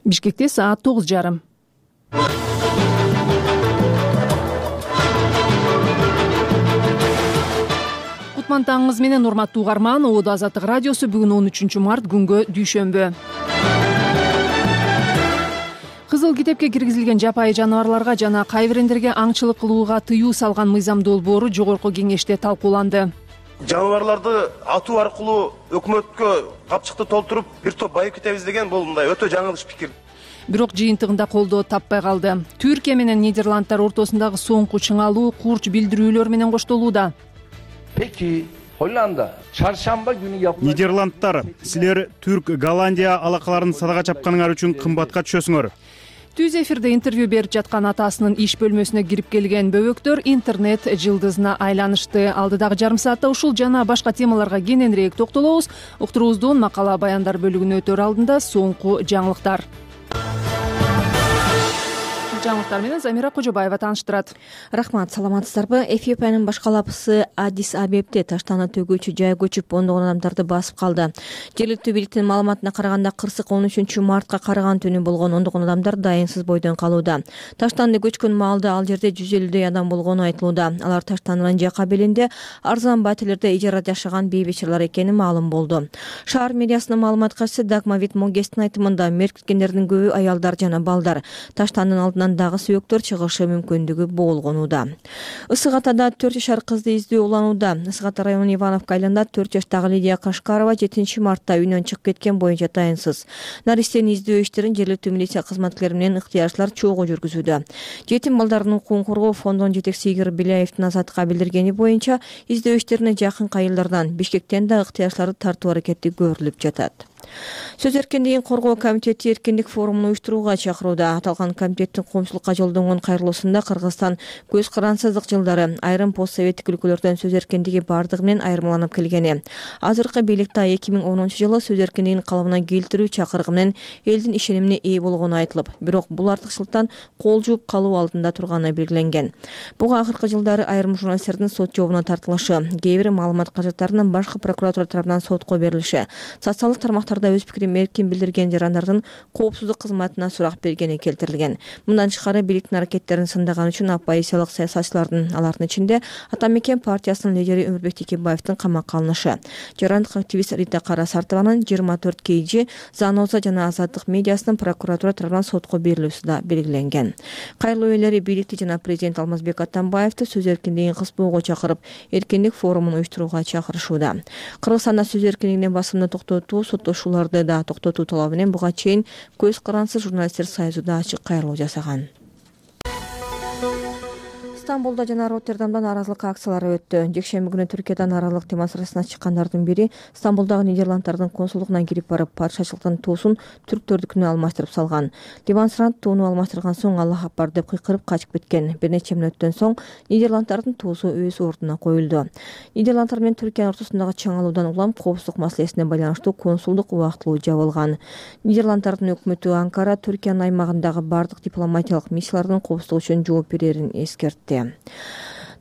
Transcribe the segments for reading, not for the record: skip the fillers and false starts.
Бишкекте саат 9:30. Кутман таңыңыз менен урматтуу угарман. Ободо Азаттык радиосу бүгүн 13 март күнгө дүйшөмбү. Кызыл китепке киргизилген жапайы жаныбарларга жана кайбирендерге аңчылык кылууга тыюу салган мыйзам долбоору жогорку кеңеште талкууланды. Жаныбарларды атуу аркылуу өкмөткө капчыкты толтуруп бир топ байып кетебиз деген бул мындай өтө жаңылыш пикир. Бирок жыйынтыгында колдоо таппай калды. Түркия менен Нидерландтар ортосундагы соңку чыңалуу курч билдирүүлөр менен коштолууда. Peki Hollanda çarşamba günü yapılacak... Нидерландтар, силер Түрк, Голландия алакаларын садага чапканыңар үчүн кымбатка түшөсүңөр. Түз эфирде интервью берип жаткан атасынын иш бөлмөсүнө кирип келген бөбөктөр интернет жылдызына айланышты. Алдыдагы жарым саатта ушул жана башка темаларга кененирээк токтолобуз. Уктуруубуздун макала баяндар бөлүгүнө өтөр алдында соңку жаңылыктар. Жаңылыктар менен Замира Кожобаева тааныштырат. Рахмат, саламатсыздарбы? Эфиопиянын баш калапчысы Адис Абебде таштана төгүүчү жай көчүп ондогон адамдарды басып калды. Жергиликтүү бийликтин маалыматына караганда кырсык 13 мартка караган түнү болгон ондогон адамдар дайынсыз бойдон калууда. Таштанды көчкөн маалда ал жерде 150 адам болгону айтылууда. Алар таштандын жака белинде арзан батирлерде ижарада жашаган бейбечелер экени маалым болду. Шаар мэриясынын маалымат катчысы Дагмавит Могестин айтымында меркиткендердин көбү аялдар жана балдар. Таштандын алдынан дагы сүйөктөр чыгышы мүмкүндүгү болгонууда. Ысык Атада 4 жашар кызды издөө уланууда. Ысык Ата районунун Ивановка айылында 4 жаштагы Лидия Кашкарова 7 мартта үйүнөн чыгып кеткен боюнча дайынсыз. Наристени издөө иштерин жергиликтүү милиция кызматкерлери менен ыктыярчылар чогуу жүргүзүүдө. Жетим балдардын укугун коргоо фондунун жетекчиси Игорь Беляевдин Азаттыкка билдиргени боюнча издөө иштерине жакын айылдардан Бишкектен да ыктыярчыларды тартуу аракети көрүлүп жатат. Сөз эркиндигин коргоо комитети эркиндик форумун уюштурууга чакырууда. Аталган комитеттин коомчулукка жолдонгон кайрылуусунда Кыргызстан көз карансыздык жылдары айрым постсоветтик өлкөлөрдөн сөз эркиндиги бардыгы менен айырмаланып келгени. Азыркы бийликте 2010-жылы сөз эркиндигин калыбына келтирүү чакырыгы менен элдин ишенимине ээ болгону айтылып, бирок бул артыкчылыктан кол жууп калуу алдында турганы белгиленген. Буга акыркы жылдары айрым журналисттердин сот жообуна тартылышы, кээ бир маалымат каражаттарынын башкы прокуратура тарабынан сотко берилиши, социалдык тармактарда өз пикирин эркин билдирген жарандардын коопсуздук кызматына сурак бергени келтирилген. Мындан тышкары бийликтин аракеттерин сындаган үчүн оппозициялык саясатчылардын, алардын ичинде Ата Мекен партиясынын лидери Өмүрбек Текебаевдин камакка алынышы, жарандык активист Рита Карасартованын 24 KG, Заноза жана Азаттык медиасынын прокуратура тарабынан сотко берилүүсү да белгиленген. Кайрылуу ээлери бийликти жана президент Алмазбек Атамбаевди сөз эркиндигин кыспоого чакырып, эркиндик форумун уюштурууга чакырышууда. Кыргызстанда сөз эркиндигине басымды токтотуу, соттошууларды да токтотуу талабы менен буга чейин көз карансыз журналисттер союзу да ачык кайрылуу жасаган. Стамбулда жана Роттердамда нааразылык акциялары өттү. Жекшемби күнү Түркиядан нааразылык демонстрациясына чыккандардын бири Стамбулдагы Нидерландтардын консулдугуна кирип барып, падышачылыктын туусун түрктөрдүкүнө алмаштырып салган. Демонстрант тууну алмаштырган соң Аллах акбар деп кыйкырып качып кеткен. Бир нече мүнөттөн соң Нидерландтардын туусу өз ордуна коюлду. Нидерландтар менен Түркиянын ортосундагы чыңалуудан улам коопсуздук маселесине байланыштуу консулдук убактылуу жабылган. Нидерландтардын өкмөтү Анкара Түркиянын аймагындагы бардык дипломатиялык миссиялардын коопсуздугу үчүн жооп берерин эскертти.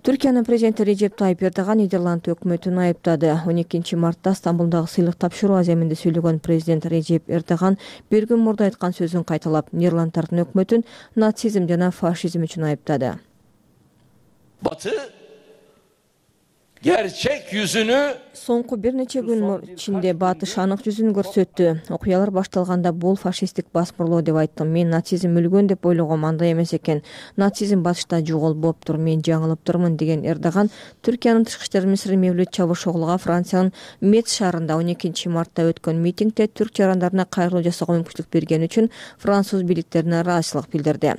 Түркиянын президенти Режеп Тайып Эрдоган Нидерланд өкмөтүн айыптады. 12 мартта Стамбулдагы сыйлык тапшыруу аземинде сүйлөгөн президент Режеп Эрдоган бир күн мурда айткан сөзүн кайталап, Нидерландтардын өкмөтүн нацизм жана фашизм үчүн айыптады. Batı gerçek yüzünü Соңку бир нече күн ичинде Батыш анык жүзүн көрсөттү. Окуялар башталганда бул фашисттик басмырлоо деп айттым. Мен нацизм өлгөн деп ойлогом, андай эмес экен. Нацизм Батышта жоголуп болуптур, мен жаңылыптырмын деген Эрдоган Түркиянын тышкы иштер министри Мевлют Чавушоглуга Франциянын Мец шаарында 12 мартта өткөн митингде түрк жарандарына кайрылуу жасоого мүмкүнчүлүк бергени үчүн француз бийликтерине ыраазычылык билдирди.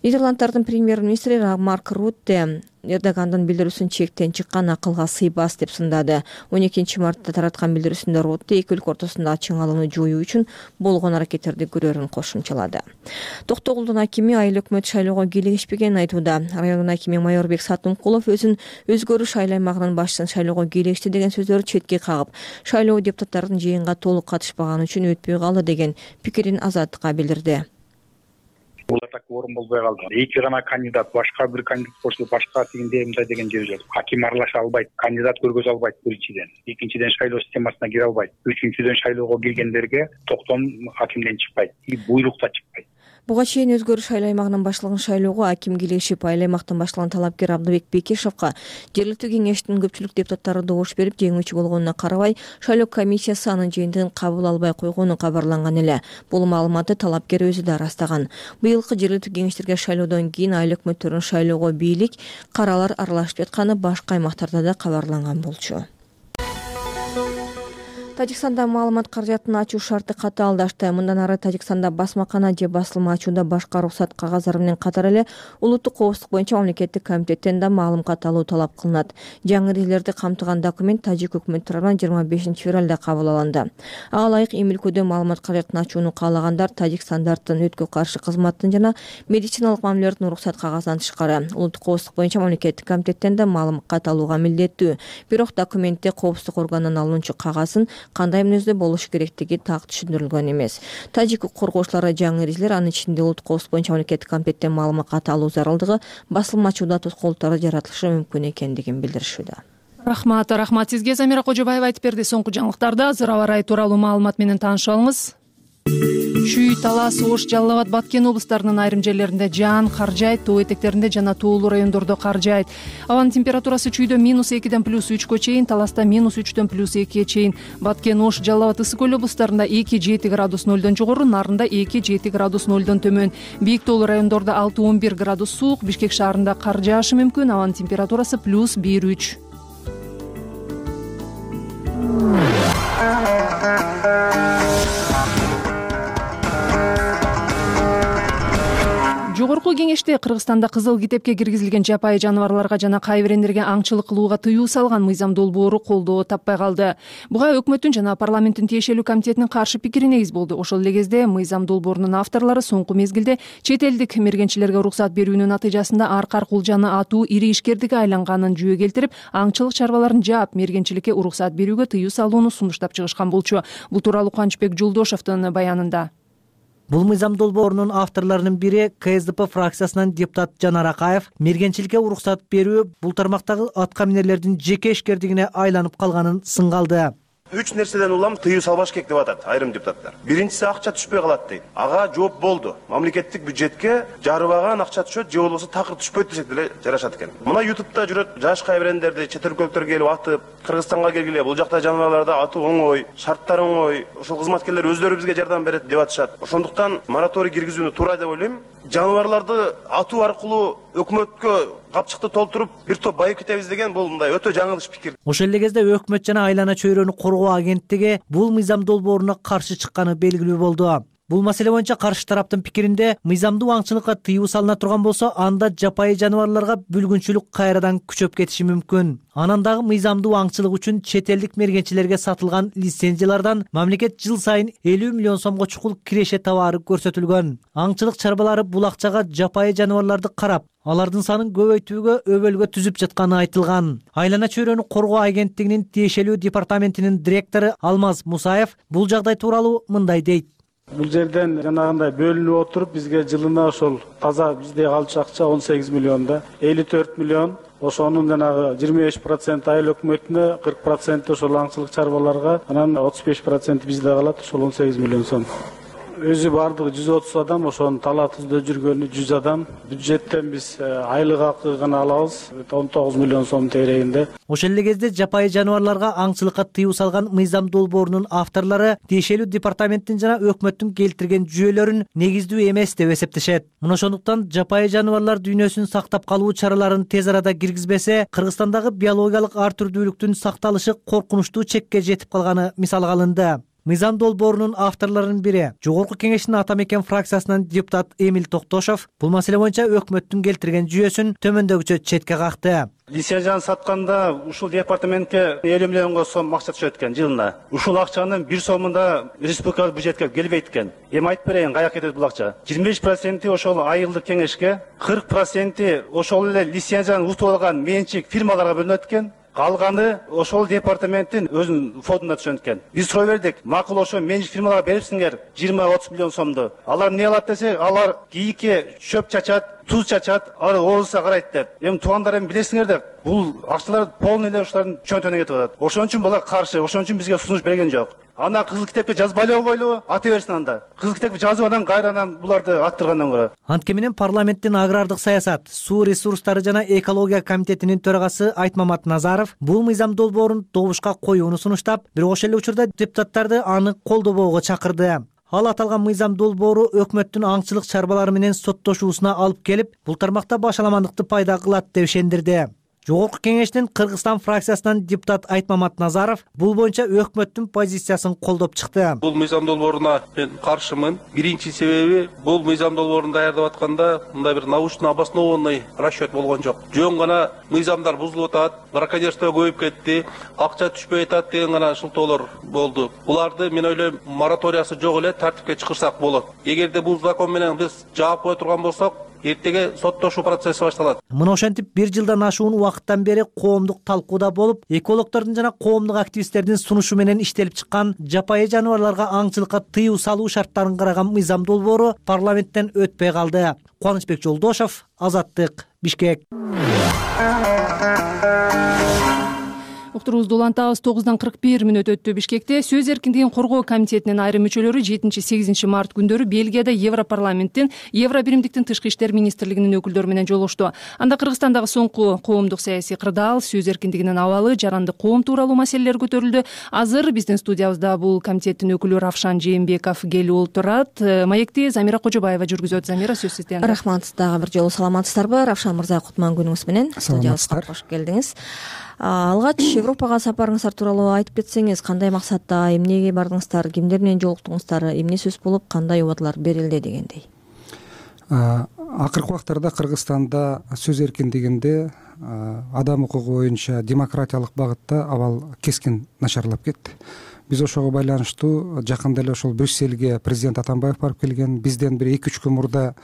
Нидерландтардын премьер-министри Марк Рутте Эрдогандын билдирүүсүн чектен чыккан, акылга сыйбас деп сындады. 12 мартта тараткан билдирүүсүндө Рутте эки өлкө ортосундагы чыңалууну жоюу үчүн болгон аракеттерди көрөрүн кошумчалады. Токтогулдун акими айыл өкмөт шайлоого кийлигишпегенин айтууда. Райондун акими Майорбек Сатымкулов өзүн өзгөрүш айыл аймагынын башчысын шайлоого кийлигишти деген сөздөрү четке кагып, шайлоо депутаттардын жыйынга толук катышпаганы үчүн өтпөй калды деген пикирин Азаттыкка билдирди. Бул так орун болбой калды. Эки гана кандидат, башка бир кандидат болсо башка тигинде мындай деген жери жок. Аким аралаша албайт, кандидат көргөзө албайт биринчиден. Экинчиден шайлоо системасына кире албайт. Үчүнчүдөн шайлоого киргендерге токтом акимден чыкпайт, буйрук да чыкпайт. Буга чейин Өзгөрүш айыл аймагынын башлыгын шайлоого аким килешип, айыл аймактан башталган талапкер Абдыбек Бекешовго жергиликтүү кеңештин көпчүлүк депутаттары добуш берип, жеңүүчү болгонуна карабай, шайлоо комиссиясы анын жыйынтыгын кабыл албай койгону кабарланган эле. Бул маалыматты талапкер өзү да ырастаган. Быйылкы жергиликтүү кеңештерге шайлоодон кийин айыл өкмөттөрүнүн шайлоого бийлик, каралар аралашып жатканы башка аймактарда да кабарланган болчу. Тажикстанда маалымат каражатын ачуу шарты катаалдашты. Мындан ары Тажикстанда басмакана же басылма ачууда башка уруксат кагаздары менен катар эле улуттук коопсуздук боюнча мамлекеттик комитеттен да маалым каталуу талап кылынат. Жаңы эрежелерди камтыган документ тажик өкмөтү тарабынан 25 февралда кабыл алынды. Ага ылайык эми өлкөдө маалымат каражатын ачууну каалагандар Тажик стандарттын өткө каршы кызматтын жана медициналык мамилелердин уруксат кагазынан тышкары улуттук коопсуздук боюнча мамлекеттик комитеттен да маалым каталууга милдеттүү. Бирок документте коопсуздук органынан алынуучу кагазын кандай мүнөздө болушу керектиги так түшүндүрүлгөн эмес. Тажик коргоочулары жаңы эрежелер, анын ичинде улуттук коопсуздук боюнча мамлекеттик комитеттен маалымат каталуу зарылдыгы басылмачууда тоскоолдуктары жаратылышы мүмкүн экендигин билдиришүүдө. Рахмат сизге. Замира Кожобаева айтып берди. Соңку жаңылыктарда азыр аба ырайы тууралуу маалымат менен таанышып алыңыз. Чүй, Талас, Ош, Жалал Абад, Баткен облустарынын айрым жерлеринде жаан кар жаайт, тоо этектеринде жана тоолуу райондордо кар жаайт. Абанын температурасы Чүйдө -2ден +3кө чейин, Таласта -3дөн +2ге чейин, Баткен, Ош, Жалал Абад, Ысык көл облустарында 2-7 градус 0дон жогору, Нарында 2-7 градус 0дон төмөн. Бийик тоолуу райондордо 6-11 градус суук, Бишкек шаарында кар жаашы мүмкүн, абанын температурасы +1-3. Жогорку кеңеште Кыргызстанда кызыл китепке киргизилген жапайы жаныбарларга жана кайбирендерге аңчылык кылууга тыюу салган мыйзам долбоору колдоо таппай калды. Буга өкмөттүн жана парламенттин тиешелүү комитетинин каршы пикири негиз болду. Ошол эле кезде мыйзам долбоорунун авторлору соңку мезгилде чет элдик мергенчилерге уруксат берүүнүн натыйжасында аркар кулжаны атуу ири ишкердикке айланганын жүйө келтирип, аңчылык чарбаларын жаап, мергенчиликке уруксат берүүгө тыюу салууну сунуштап чыгышкан болчу. Бул тууралуу Кубанычбек Жолдошовдун баянында. Бул мыйзам долбоорунун авторлорунун бири КСДП фракциясынан депутат Жанар Акаев мергенчиликке уруксат берүү бул тармактагы атка минерлердин жеке ишкердигине айланып калганын сынгалды. 3 нерседен улам тыюу салбаш керек деп атат айрым депутаттар. Биринчиси акча түшпөй калат дейт. Ага жооп болду. Мамлекеттик бюджетке жарыбаган акча түшөт, же болбосо такыр түшпөйт десек деле жарашат экен. Мына YouTube'да жүрөт жаш кайбирендерди чет өлкөлүктөр келип атып, Кыргызстанга келгиле, бул жакта жаныбарларды атуу оңой, шарттар оңой, ошол кызматкерлер өздөрү бизге жардам берет деп атышат. Ошондуктан мораторий киргизүүнү туура деп ойлойм. Жаныбарларды атуу аркылуу өкмөткө капчыкты толтуруп бир топ байып кетебиз деген бул мындай өтө жаңылыш пикир. Ошол эле кезде өкмөт жана айлана чөйрөнү коргоо агенттиги бул мыйзам долбооруна каршы чыкканы белгилүү болду. Бул маселе боюнча каршы тараптын пикиринде мыйзамдуу аңчылыкка тыюу салына турган болсо, анда жапайы жаныбарларга бүлгүнчүлүк кайрадан күчөп кетиши мүмкүн. Анан дагы мыйзамдуу аңчылык үчүн чет элдик мергенчилерге сатылган лицензиялардан мамлекет жыл сайын 50 миллион сомго чукул киреше товары көрсөтүлгөн. Аңчылык чарбалары бул акчага жапайы жаныбарларды карап, алардын санын көбөйтүүгө өбөлгө түзүп жатканы айтылган. Айлана чөйрөнү коргоо агенттигинин тиешелүү департаментинин директору Алмаз Мусаев бул жагдай тууралуу мындай дейт. Бул жерден жанагындай бөлүнүп отуруп бизге жылына ошол таза бизде калчу акча 18 миллионда 54 миллион. Ошонун жанагы 25% айыл өкмөтүнө, 40% ошол аңчылык чарбаларга, анан 35% бизде калат, ошол 18 миллион сом. Өзү бардыгы 130 адам, ошонун талаатыбызда жүргөнү 100 адам. Бюджеттен биз айлык акы гана алабыз, 19 миллион сом тегерегинде. Ошол эле кезде жапайы жаныбарларга аңчылыкка тыюу салган мыйзам долбоорунун авторлору тиешелүү департаменттин жана өкмөттүн келтирген жүйөлөрүн негиздүү эмес деп эсептешет. Мына ошондуктан жапайы жаныбарлар дүйнөсүн сактап калуу чараларын тез арада киргизбесе, Кыргызстандагы биологиялык ар түрдүүлүктүн сакталышы коркунучтуу чекке жетип калганы мисалга алынды. Мыйзам долбоорунун авторлорунун бири Жогорку кеңештин Ата Мекен фракциясынан депутат Эмил Токтошов бул маселе боюнча өкмөттүн келтирген жүйөсүн төмөндөгүчө четке какты. Лицензияны сатканда ушул департаментке 50 миллионго сом акча түшөт экен жылына. Ушул акчанын 1 сомунда республикалык бюджетке келбейт экен. Эми айтып берейин, каяка кетет бул акча? 25% ошол айылдык кеңешке, 40% ошол эле лицензияны утуп алган менчик фирмаларга бөлүнөт экен. калганы ошол департаменттин өзүнүн фондуна түшөт экен. Биз сурай бердик, макул ошо менчик фирмаларга берипсиңер 20-30 миллион сомду. Алар эмне кылат десек, алар кийикке чөп чачат, туз чачат, алар оозуна карайт деп. Эми туугандар эми билесиңер деп, бул акчалар полный эле ушулардын чөнтөгүнө кетип атат. Ошон үчүн булар каршы, ошон үчүн бизге сунуш берген жок. Ана кызыл китепке жазбай эле койгойлу, ата берсин анда. Кызыл китепке жазып анан кайрадан буларды аттыргандан көрө. Антке менен парламенттин агрардык саясат, суу ресурстары жана экология комитетинин төрагасы Айтмамат Назаров бул мыйзам долбоорун добушка коюуну сунуштап, бирок ошол эле учурда депутаттарды аны колдобоого чакырды. Ал аталган мыйзам долбоору өкмөттүн аңчылык чарбалары менен соттошуусуна алып келип, бул тармакта башаламандыкты пайда кылат деп ишендирди. Жогорку кеңештин Кыргызстан фракциясынан депутат Айтмамат Назаров бул боюнча өкмөттүн позициясын колдоп чыкты. Бул мыйзам долбооруна мен каршымын. Биринчи себеби бул мыйзам долбоорун даярдап атканда мындай бир научно обоснованный расчет болгон жок. Жөн гана мыйзамдар бузулуп атат, браконьерство көбөйүп кетти, акча түшпөй атат деген гана шылтоолор болду. Буларды мен ойлойм мораториясы жок эле тартипке чыгырсак болот. Эгерде бул закон менен биз жаап кое турган болсок, эртеге соттошуу процесси башталат. Мына ошентип 1 жылдан ашуун убакыттан бери коомдук талкууда болуп, экологдордун жана коомдук активисттердин сунушу менен иштелип чыккан жапайы жаныбарларга аңчылыкка тыюу салуу шарттарын караган мыйзам долбоору парламенттен өтпөй калды. Кубанычбек Жолдошов, Азаттык, Бишкек. Уктуруубузду улантабыз. 9:41 өттү. Бишкекте сөз эркиндигин коргоо комитетинин айрым мүчөлөрү 7-8 март күндөрү Бельгияда Европарламенттин, Евробиримдиктин тышкы иштер министрлигинин өкүлдөрү менен жолугушту. Анда Кыргызстандагы соңку коомдук саясий кырдаал, сөз эркиндигинин абалы, жарандык коом тууралуу маселелер көтөрүлдү. Азыр биздин студиябызда бул комитеттин өкүлү Равшан Жээнбеков келип отурат. Маекти Замира Кожобаева жүргүзөт. Замира, сөз сизде. Рахмат. Дагы бир жолу саламатсыздарбы? Равшан мырза, кутман күнүңүз менен студиябызга кош келдиңиз. Алгач Европага сапарыңыздар тууралуу айтып кетсеңиз, кандай максатта, эмнеге бардыңыздар, кимдер менен жолуктуңуздар, эмне сөз болуп, кандай убадалар берилди дегендей. Акыркы убактарда Кыргызстанда сөз эркиндигинде адам укугу боюнча демократиялык багытта абал кескин начарлап кетти. Биз ошого байланыштуу жакында эле ошол Брюссельге президент Атамбаев барып келген. Бизден бир 2-3 күн мурда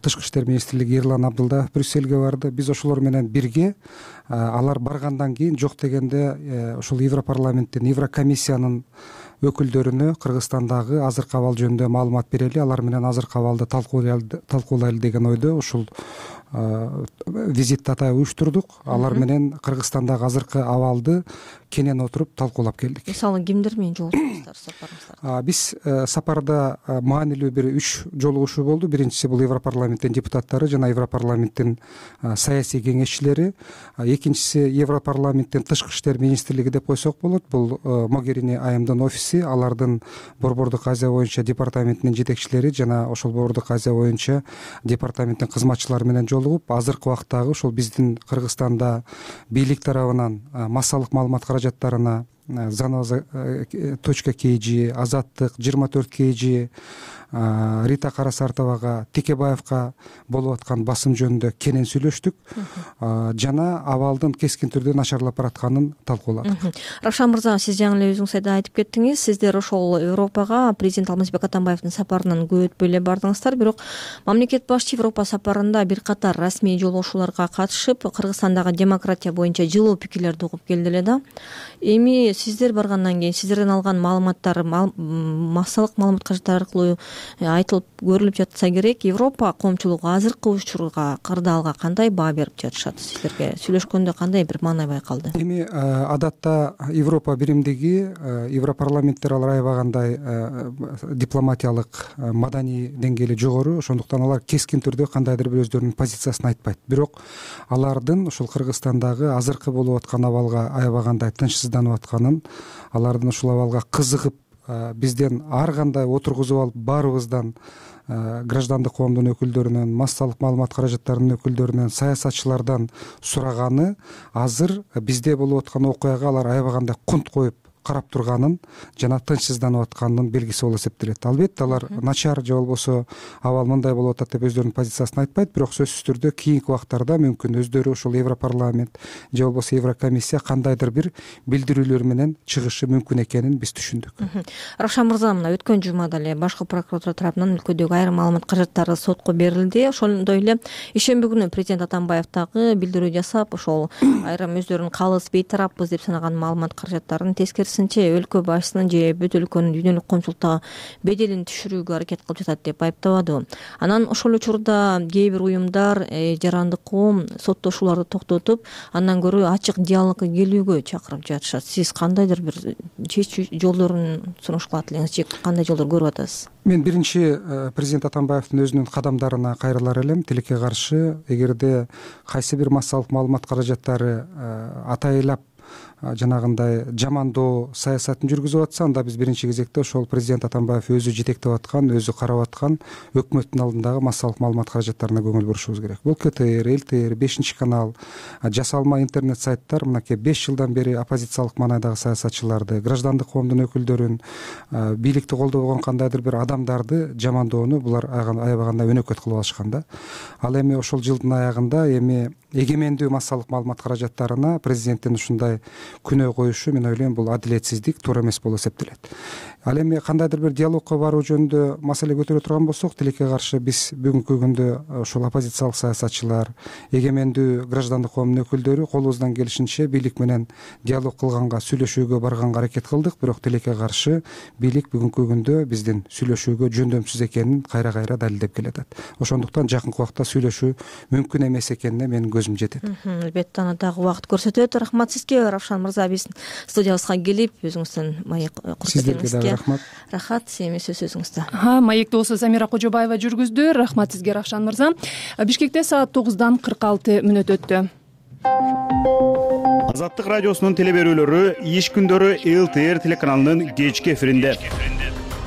тышкы иштер министрлиги Эрлан Абдылдаев Брюссельге барды. Биз ошолор менен бирге алар баргандан кийин жок дегенде ошол Европарламенттин, Еврокомиссиянын өкүлдөрүнө Кыргызстандагы азыркы абал жөнүндө маалымат берели, алар менен азыркы абалды талкуулайлы деген ойдо ушул визитти атайын уюштурдук. Алар менен Кыргызстандагы азыркы абалды кенен отуруп талкуулап келдик. Мисалы, кимдер менен жолугуштуңуздар сапарыңыздарда? Биз сапарда маанилүү бир 3 жолугушуу болду. Биринчиси бул Европарламенттин депутаттары жана Европарламенттин саясий кеңешчилери. Экинчиси Европарламенттин тышкы иштер министрлиги деп койсок болот. Бул Могерини айымдын офиси, алардын Борбордук Азия боюнча департаментинин жетекчилери жана ошол Борбордук Азия боюнча департаменттин кызматчылары менен жолугуп, азыркы убактагы ошол биздин Кыргызстанда бийлик тарабынан массалык маалымат каражаттарына Заноза.kg, Азаттык, 24kg, Рита Карасартовага, Текебаевка болуп аткан басым жөнүндө кенен сүйлөштүк жана абалдын кескин түрдө начарлап баратканын талкууладык. Равшан мырза, сиз жаңы эле өзүңүз айтып кеттиңиз, сиздер ошол Европага президент Алмазбек Атамбаевдин сапарынан көп өтпөй эле бардыңыздар, бирок мамлекет башчы Европа сапарында бир катар расмий жолугушууларга катышып, Кыргызстандагы демократия боюнча жылуу пикирлерди угуп келди эле да. Эми сиздер баргандан кийин сиздерден алган маалыматтар, массалык маалымат каражаттары аркылуу айтылып көрүлүп жатса керек, Европа коомчулугу азыркы учурга, кырдаалга кандай баа берип жатышат? Сиздерге сүйлөшкөндө кандай бир маанай байкалды? Эми адатта Европа биримдиги, Европарламенттер алар аябагандай дипломатиялык, маданий деңгээли жогору, ошондуктан алар кескин түрдө кандайдыр бир өздөрүнүн позициясын айтпайт. Бирок алардын ошол Кыргызстандагы азыркы болуп аткан абалга аябагандай тынчсызданып атканын, алардын ушул абалга кызыгып, бизден ар кандай отургузуп алып, баарыбыздан, граждандык коомдун өкүлдөрүнөн, массалык маалымат каражаттарынын өкүлдөрүнөн, саясатчылардан сураганы азыр бизде болуп аткан окуяга алар аябагандай кунт коюп карап турганын жана тынчсызданып атканынын белгиси болуп эсептелет. Албетте алар начар же болбосо абал мындай болуп атат деп өздөрүнүн позициясын айтпайт, бирок сөзсүз түрдө кийинки убактарда мүмкүн өздөрү ушул Европарламент же болбосо Еврокомиссия кандайдыр бир билдирүүлөр менен чыгышы мүмкүн экенин биз түшүндүк. Рашан мырза, мына өткөн жумада эле башкы прокуратура тарабынан өлкөдөгү айрым маалымат каражаттары сотко берилди. Ошондой эле ишемби күнү президент Атамбаев дагы билдирүү жасап, ошол айрым өздөрүнүн калыс бейтараппыз деп санаган маалымат каражаттарын тескерисинче өлкө башчысынын же бүт өлкөнүн дүйнөлүк коомчулукта беделин түшүрүүгө аракет кылып жатат деп айыптабады. Анан ошол эле учурда кээ бир уюмдар жарандык коом соттошууларды токтотуп, андан көрө ачык диалогко келүүгө чакырып жатышат. Сиз кандайдыр бир чечүү жолдорун сунуш кылат элеңиз же кандай жолдор көрүп атасыз? Мен биринчи президент Атамбаевдин өзүнүн кадамдарына кайрылар элем. Тилекке каршы эгерде кайсы бир массалык маалымат каражаттары атайлап жанагындай жамандоо саясатын жүргүзүп атса, анда биз биринчи кезекте ошол президент Атамбаев өзү жетектеп аткан, өзү карап аткан өкмөттүн алдындагы массалык маалымат каражаттарына көңүл бурушубуз керек. Бул КТР, ЛТР, 5-канал, жасалма интернет сайттар мынакей 5 жылдан бери оппозициялык маанайдагы саясатчыларды, граждандык коомдун өкүлдөрүн, бийликти колдобогон кандайдыр бир адамдарды жамандоону булар аябаганда өнөкөт кылып алышкан да. Ал эми ошол жылдын аягында эми эгемендүү массалык маалымат каражаттарына президенттин ушундай күнөө коюшу, мен ойлойм, бул адилетсиздик, туура эмес болуп эсептелет. Ал эми кандайдыр бир диалогко баруу жөнүндө маселе көтөрө турган болсок, тилекке каршы биз бүгүнкү күндө ошол оппозициялык саясатчылар, эгемендүү граждандык коомдун өкүлдөрү колубуздан келишинче бийлик менен диалог кылганга, сүйлөшүүгө барганга аракет кылдык, бирок тилекке каршы бийлик бүгүнкү күндө биздин сүйлөшүүгө жөндөмсүз экенин кайра далилдеп келатат. Ошондуктан жакынкы убакта сүйлөшүү мүмкүн эмес экенине менин көзүм жетет. Албетте, аны дагы убакыт көрсөтөт. Рахмат сизге, Равшан мырза, биздин студиябызга келип өзүңүздөн маек көрсөткөнүңүзгө. Рахмат, эми сөз өзүңүздө. Маекти болсо Замира Кожобаева жүргүздү. Рахмат сизге, Равшан мырза. Бишкекте саат 9:46 өттү. Азаттык радиосунун телеберүүлөрү иш күндөрү ЛТР телеканалынын кечки эфиринде.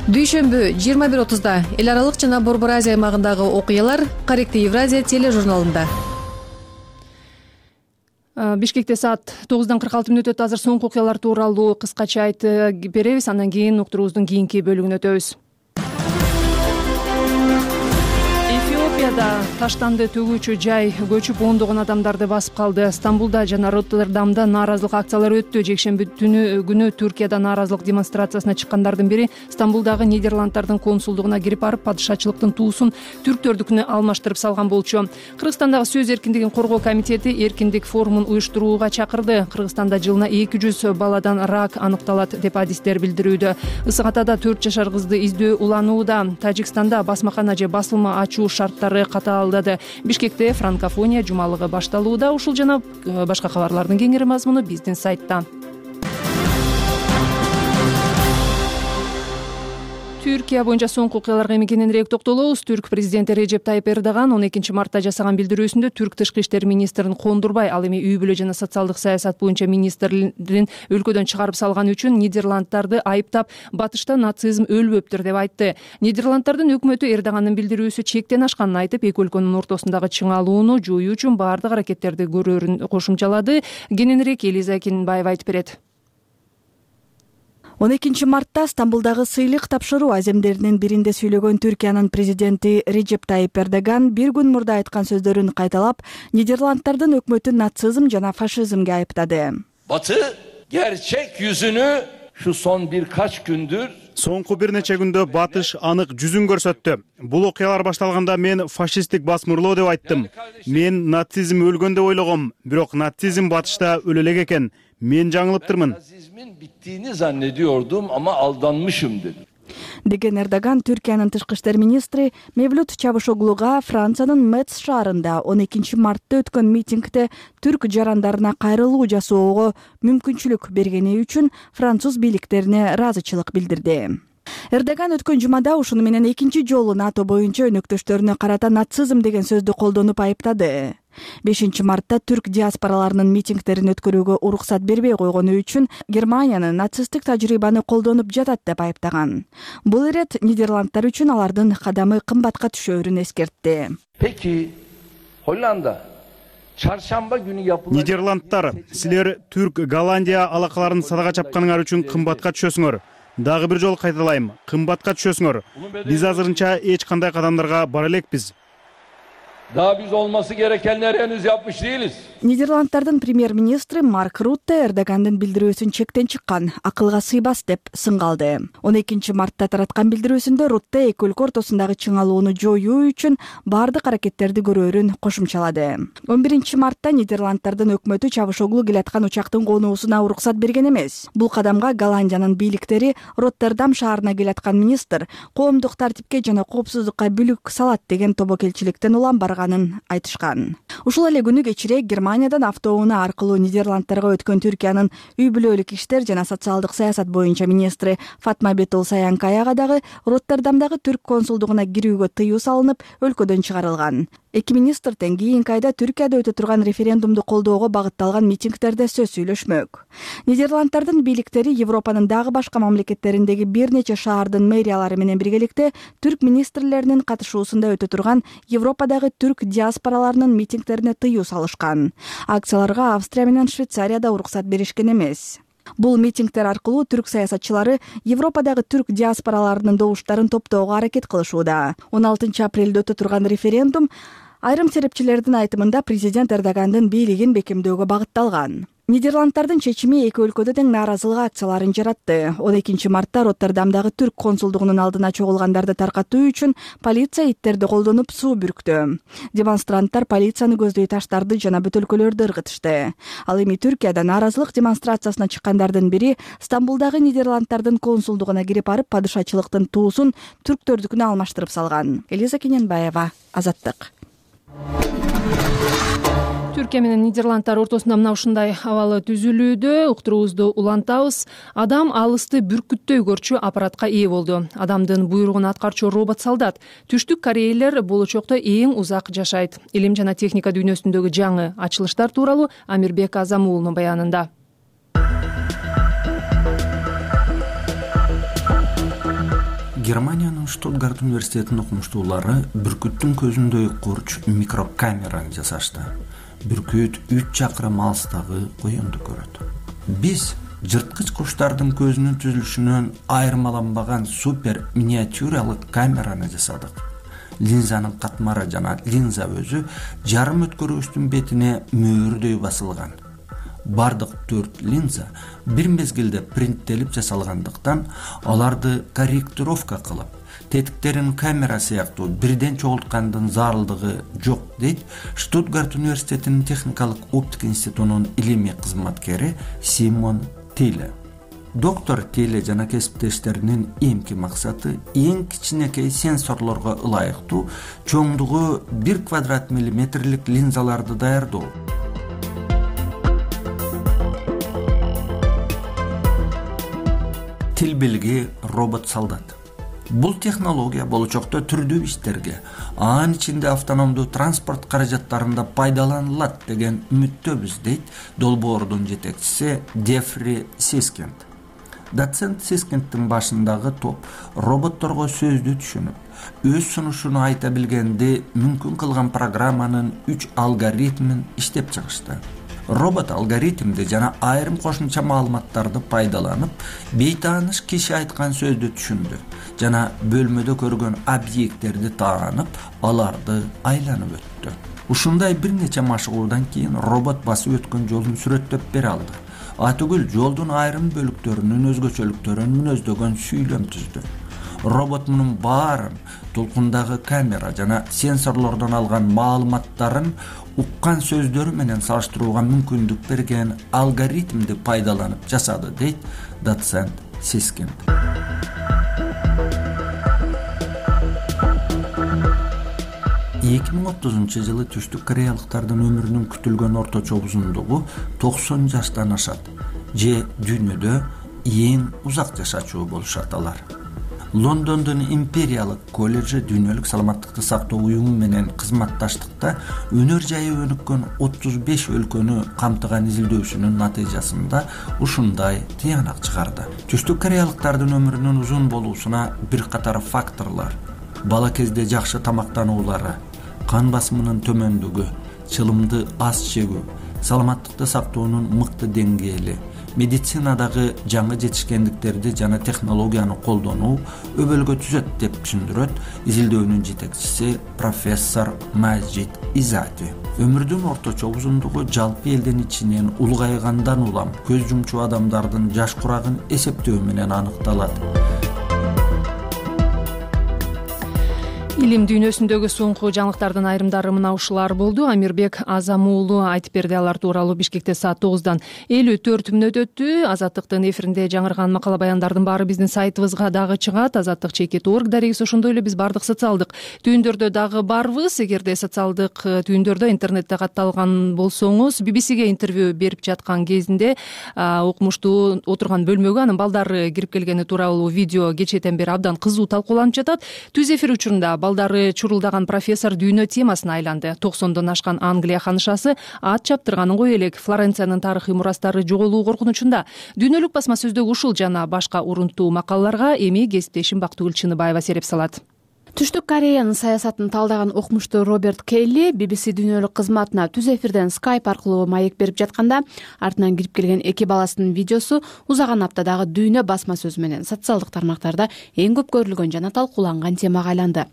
Дүйшөмбү 21:30 эл аралык жана Борбор Азия аймагындагы окуялар Корректив Евразия тележурналында. Бишкекте саат 9:46 өттү. Азыр соңку окуялар тууралуу кыскача айтып беребиз, андан кийин уктуруубуздун кийинки бөлүгүнө өтөбүз. Эфиопияда таштанды төгүүчү жай көчүп ондогон адамдарды басып калды. Стамбулда жана Роттердамда нааразылык акциялары өттү. Жекшемби күнү Түркияда нааразылык демонстрациясына чыккандардын бири Стамбулдагы Нидерланддардын консулдугуна кирип барып, падышачылыктын туусун түрктөрдүкүнө алмаштырып салган болчу. Кыргызстандагы сөз эркиндигин коргоо комитети эркиндик форумун уюштурууга чакырды. Кыргызстанда жылына 200 баладан рак аныкталат деп адистер билдирүүдө. Ысык Атада 4 жашар кызды издөө уланууда. Тажикстанда басмакана же басылма ачуу шарттары катаалдады. Бишкекте франкофония жумалыгы башталууда. Ушул жана башка кабарлардын кеңири мазмуну биздин сайтта. Түркия боюнча соңку окуяларга эми кененирээк токтолобуз. Түрк президенти Режеп Тайып Эрдоган 12 мартта жасаган билдирүүсүндө түрк тышкы иштер министрин кондурбай, ал эми үй бүлө жана социалдык саясат боюнча министрин өлкөдөн чыгарып салган үчүн Нидерланддарды айыптап, батышта нацизм өлбөптүр деп айтты. Нидерланддардын өкмөтү Эрдогандын билдирүүсү чектен ашканын айтып, эки өлкөнүн ортосундагы чыңалууну жоюу үчүн баардык аракеттерди көрөрүн кошумчалады. Кененирээк Элиза Кинбаева айтып берет. 12 мартта Стамбулдагы сыйлык тапшыруу аземдеринин биринде сүйлөгөн Түркиянын президенти Режеп Тайып Эрдоган бир күн мурда айткан сөздөрүн кайталап, Нидерланддардын өкмөтүн нацизм жана фашизмге айыптады. Batı gerçek yüzünü şu son birkaç gündür Соңку бир нече күндө батыш анык жүзүн көрсөттү. Бул окуялар башталганда мен фашисттик басмырлоо деп айттым. Мен нацизм өлгөн деп ойлогом, бирок нацизм батышта өлө элек экен. Men жаңылыптырмын. Nazizmin bittiğini zannediyordum ama aldanmışım dedi. Деген Эрдоган Түркиянын тышкы иштер министри Мевлют Чавушоглуга Франциянын Метс шаарында 12 мартта өткөн митингде түрк жарандарына кайрылуу жасоого мүмкүнчүлүк бергени үчүн француз бийликтерине ыраазычылык билдирди. Эрдоган өткөн жумада ушуну менен экинчи жолу НАТО боюнча өнөктөштөрүнө карата нацизм деген сөздү колдонуп айыптады. 5 мартта түрк диаспораларынын митингдерин өткөрүүгө уруксат бербей койгону үчүн Германиянын нацисттик тажрыйбаны колдонуп жатат деп айыптаган. Бул ирет Нидерланддар үчүн алардын кадамы кымбатка түшөөрүн эскертти. Peki Hollanda çarşamba günü yapılacak. Нидерландтар, силер Түрк Голландия алакаларын садага чапканыңар үчүн кымбатка түшөсүңөр. Дагы бир жолу кайталайм, кымбатка түшөсүңөр. Биз азырынча эч кандай кадамдарга бара элекпиз. Daha biz olması gerekenleri henüz yapmış değiliz. Нидерландтардын премьер-министри Марк Рутте Эрдогандын билдирүүсүн чектен чыккан, акылга сыйбас деп сынгалды. 12 мартта тараткан билдирүүсүндө Рутте эки өлкө ортосундагы чыңалууну жоюу үчүн бардык аракеттерди көрөөрүн кошумчалады. 11 мартта Нидерландтардын өкмөтү Чавушоглу келаткан учактын конуусуна уруксат берген эмес. Бул кадамга Голландиянын бийликтери Роттердам шаарына келаткан министр коомдук тартипке жана коопсуздукка бүлүк салат деген тобокелчиликтен улам барганын айтышкан. Ушул эле күнү кечирээк Германиядан автоунаа аркылуу Нидерландтарга өткөн Түркиянын үй бүлөлүк иштер жана социалдык саясат боюнча министри Фатма Бетул Саянкаяга дагы Роттердамдагы түрк консулдугуна кирүүгө тыюу салынып, өлкөдөн чыгарылган. Эки министрден кийинки айда Түркияда өтө турган референдумду колдоого багытталган митингдерде сөз сүйлөшмөк. Нидерландтардын бийликтери Европанын дагы башка мамлекеттериндеги бир нече шаардын мэриялары менен биргеликте түрк министрлеринин катышуусунда өтө турган Европадагы түрк диаспораларынын митингдерине тыюу салышкан. Акцияларга Австрия менен Швейцарияда уруксат беришкен эмес. Бул митингдер аркылуу түрк саясатчылары Европадагы түрк диаспораларынын добуштарын топтоого аракет кылышууда. 16 апрелде өтө турган референдум айрым серепчилердин айтымында президент Эрдогандын бийлигин бекемдөөгө багытталган. Нидерландтардын чечими эки өлкөдө тең нааразылык акцияларын жаратты. 12 мартта Роттердамдагы түрк консулдугунун алдына чогулгандарды таркатуу үчүн полиция иттерди колдонуп суу бүрктү. Демонстранттар полицияны көздөй таштарды жана бөтөлкөлөрдү ыргытышты. Ал эми Түркияда нааразылык демонстрациясына чыккандардын бири Стамбулдагы Нидерландтардын консулдугуна кирип барып падышачылыктын туусун түрктөрдүкүнө алмаштырып салган. Элиза Кененбаева, Азаттык. Түркия менен Нидерландтар ортосунда мына ушундай абалы түзүлүүдө. Уктуруубузду улантабыз. Адам алысты бүркүттөй көрчү аппаратка ээ болду. Адамдын буйругун аткарчу робот солдат. Түштүк корейлер болочокто эң узак жашайт. Илим жана техника дүйнөсүндөгү жаңы ачылыштар тууралуу Амирбек Азамуулунун баянында. Германиянын Штутгарт университетинин окумуштуулары бүркүттүн көзүндөй курч микрокамераны жасашты. Бүркүт 3 чакырым алыстагы коёнду көрөт. Биз жырткыч куштардын көзүнүн түзүлүшүнөн айырмаланбаган супер миниатюралык камераны жасадык. Линзанын катмары жана линза өзү жарым өткөрүүчтүн бетине мөөрдөй басылган. Бардык 4 линза бир мезгилде принттелип жасалгандыктан аларды корректировка кылып, тетиктерин камера сыяктуу бирден чогулткандын зарылдыгы жок дейт Штутгарт университетинин техникалык оптика институтунун илимий кызматкери Симон Тиле. Доктор Тиле жана кесиптештеринин эмки максаты эң кичинекей сенсорлорго ылайыктуу чоңдугу 1 квадрат миллиметрлик линзаларды даярдоо. Тил билги робот солдат. Бул технология болочокто түрдүү иштерге, анын ичинде автономдуу транспорт каражаттарында пайдаланылат деген үмүттөбүз дейт долбоордун жетекчиси Дефри Сискент. Доцент Сискенттин башындагы топ роботторго сөздү түшүнүп, өз сунушуну айта билгенди мүмкүн кылган программанын 3 алгоритмин иштеп чыгышты. Робот алгоритмди жана айрым кошумча маалыматтарды пайдаланып, бейтааныш киши айткан сөздү түшүндү жана бөлмөдө көргөн объекттерди таанып, аларды айланып өттү. Ушундай бир нече машыгуудан кийин робот басып өткөн жолун сүрөттөп бере алды. Атүгүл жолдун айрым бөлүктөрүнүн өзгөчөлүктөрүн мүнөздөгөн сүйлөм түздү. Робот мунун баарын толкундагы камера жана сенсорлордон алган маалыматтарын уккан сөздөрү менен салыштырууга мүмкүндүк берген алгоритмди пайдаланып жасады дейт доцент Сискин. жылы түштүк кореялыктардын өмүрүнүн күтүлгөн орточо узундугу 90 жаштан ашат. Же дүйнөдө эң узак жашачу болушат алар. Лондондун Империялык колледжи дүйнөлүк саламаттыкты сактоо уюму менен кызматташтыкта өнөр жайы өнүккөн 35 өлкөнү камтыган изилдөөсүнүн натыйжасында ушундай тыянак чыгарды. Түштүк кореялыктардын өмүрүнүн узун болуусуна бир катар факторлор: бала кезде жакшы тамактануулары, кан басымынын төмөндүгү, чылымды аз жегүү, саламаттыкты сактоонун мыкты деңгээли, медицинадагы жаңы жетишкендиктерди жана технологияны колдонуу өбөлгө түзөт деп түшүндүрөт изилдөөнүн жетекчиси профессор Мажид Изати. Өмүрдүн орточо узундугу жалпы элдин ичинен улгайгандан улам көз жумчу адамдардын жаш курагын эсептөө менен аныкталат. Илим дүйнөсүндөгү соңку жаңылыктардын айрымдары мына ушулар болду. Амирбек Азам уулу айтып берди. Алар тууралуу Бишкекте саат 9-дан 54 мүнөт өттү. Азаттыктын эфиринде жаңырган макала баяндардын баары биздин сайтыбызга дагы чыгат. Азаттык.org дарегиз ошондой эле биз бардык социалдык түйүндөрдө дагы барбыз. Эгерде социалдык түйүндөрдө интернетте катталган болсоңуз, BBC-ге интервью берип жаткан кезинде окумуштуу отурган бөлмөгө анын балдары кирип келгени тууралуу видео кечээден бери абдан кызуу талкууланып жатат. Түз эфир учурунда балдары чурулдаган профессор дүйнө темасына айланды. 90дон ашкан Англия ханышасы ат чаптырганын кое элек Флоренциянын тарыхый мурастары жоголуу коркунучунда. Дүйнөлүк басма сөздөгү ушул жана башка урунттуу макалаларга эми кесиптешим Бактыгүл Чыныбаева сереп салат. Түштүк Кореянын саясатын талдаган окумуштуу Роберт Келли BBC дүйнөлүк кызматына түз эфирден Skype аркылуу маек берип жатканда артынан кирип келген эки баласынын видеосу узаган аптадагы дүйнө басма сөзү менен социалдык тармактарда эң көп көрүлгөн жана талкууланган темага айланды.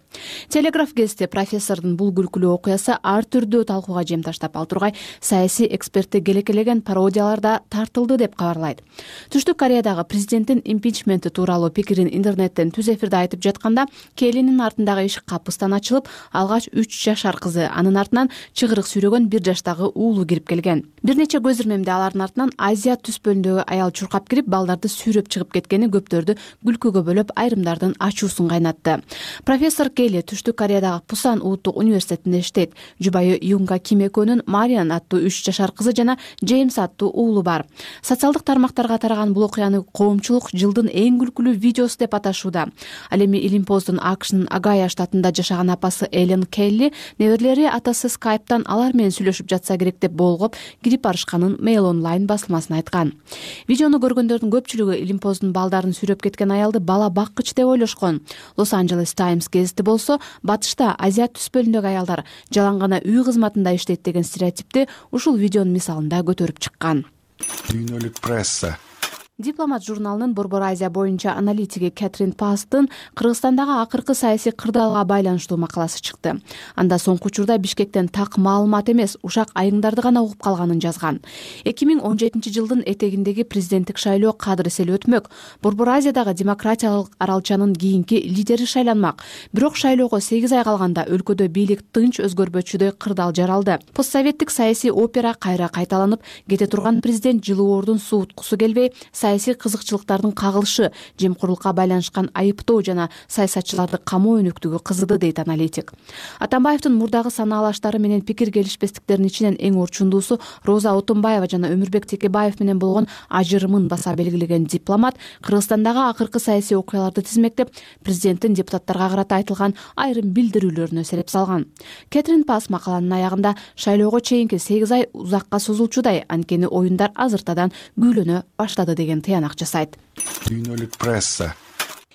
Телеграф гезити профессордун бул күлкүлүү окуясы ар түрдүү талкууга жем таштап, ал тургай саясий экспертти келекелеген пародияларда тартылды деп кабарлайт. Түштүк Кореядагы президенттин импичменти тууралуу пикирин интернеттен түз эфирде айтып жатканда Келлинин артындагы ишик капыстан ачылып, алгач 3 жашар кызы, анын артынан чыгырык сүйрөгөн 1 жаштагы уулу кирип келген. Бир нече көз ирмемде алардын артынан Азия түз бөлүндөгү аял чуркап кирип, балдарды сүйрөп чыгып кеткени көптөрдү күлкүгө бөлөп, айрымдардын ачуусун кайнатты. Профессор Келли Түштүк Кореядагы Пусан улуттук университетинде иштейт. Жубайы Юнга Ким экөөнүн Мариан аттуу 3 жашар кызы жана Джеймс аттуу уулу бар. Социалдык тармактарга тараган бул окуяны коомчулук жылдын эң күлкүлүү видеосу деп аташууда. Ал эми Илимпоздун АКШнын Агая штатында жашаган апасы Элен Келли неберелери атасы Skype'тан алар менен сүйлөшүп жатса керек деп болгоп кирип барышканын Mail Online басылмасына айткан. Видеону көргөндөрдүн көпчүлүгү Илимпоздун балдарын сүйрөп кеткен аялды бала баккыч деп ойлошкон. Los Angeles Times гезити болсо, батышта Азия түз бөлүндөгү аялдар жалаң гана үй кызматында иштейт деген стереотипти ушул видеонун мисалында көтөрүп чыккан. Дүйнөлүк пресса. Дипломат журналынын Борбор Азия боюнча аналитиги Кэтрин Пасттын Кыргызстандагы акыркы саясий кырдаалга байланыштуу макаласы чыкты. Анда соңку учурда Бишкектен так маалымат эмес, ушак айыңдарды гана угуп калганын жазган. 2017-жылдын этегиндеги президенттик шайлоо кадыр эселеп өтмөк. Борбор Азиядагы демократиялык аралчанын кийинки лидери шайланмак. Бирок шайлоого 8 ай калганда өлкөдө бийлик тынч өзгөрбөчүдөй кырдаал жаралды. Постсоветтик саясий опера кайра кайталанып, кете турган президент жылуордун сууткусу келбей, саясий кызыкчылыктардын кагылышы, жемкорлукка байланышкан айыптоо жана саясатчыларды камоо өнүктүгү кызыды, дейт аналитик. Атамбаевдин мурдагы санаалаштары менен пикир келишпестиктердин ичинен эң орчундуусу Роза Отунбаева жана Өмүрбек Текебаев менен болгон ажырымын баса белгилеген дипломат Кыргызстандагы акыркы саясий окуяларды тизмектеп, президенттин депутаттарга карата айтылган айрым билдирүүлөрүнө сереп салган. Кэтрин Пасс макаланын аягында шайлоого чейинки 8 ай узакка созулчудай, анткени оюндар азыртадан күүлөнө баштады деген тыянак жасайт. Дүйнөлүк пресса.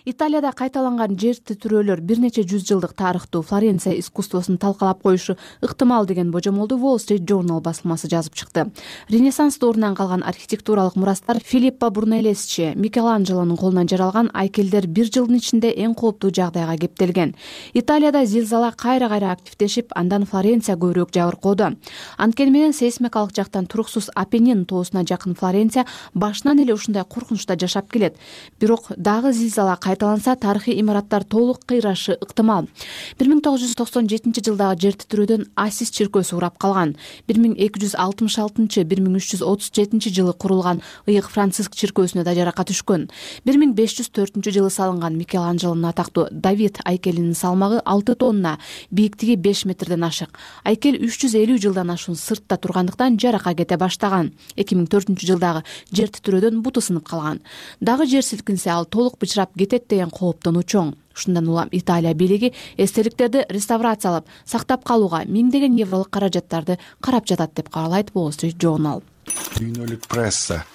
Италияда кайталанган жер титирөөлөр бир нече жүз жылдык тарыхтуу Флоренция искусствосун талкалап коюшу ыктымал деген божомолду Wall Street Journal басылмасы жазып чыкты. Ренессанс доорунан калган архитектуралык мурастар Филиппо Брунеллесчи, Микеланджелонун колунан жаралган айкелдер бир жылдын ичинде эң кооптуу жагдайга кептелген. Италияда зилзала кайра-кайра активдешип, андан Флоренция көбүрөөк жабыркоодо. Анткени менен сейсмикалык жактан туруксуз Апеннин тоосуна жакын Флоренция башынан эле ушундай коркунучта жашап келет. Бирок дагы зилзала кайталанса, тарыхый имараттар толук кыйрашы ыктымал. 1997-жылдагы жер титирөөдөн Асис чиркөөсү урап калган. 1266-1337-жылы курулган ыйык Франциск чиркөөсүнө да жаракат түшкөн. 1504-жылы салынган Микеланджелонун атактуу Давид айкелинин салмагы 6 тонна, бийиктиги 5 метрден ашык. Айкел 350 жылдан ашуун сыртта тургандыктан жарака кете баштаган. 2004-жылдагы жер титирөөдөн буту сынып калган. Дагы жер силкинсе, ал толук бычырап кетет деген кооптону чоң. Ушундан улам Италия бийлиги эстеликтерди реставрациялап, сактап калууга миңдеген евролук каражаттарды карап жатат деп кабарлайт Wall Street Journal. Дүйнөлүк пресса.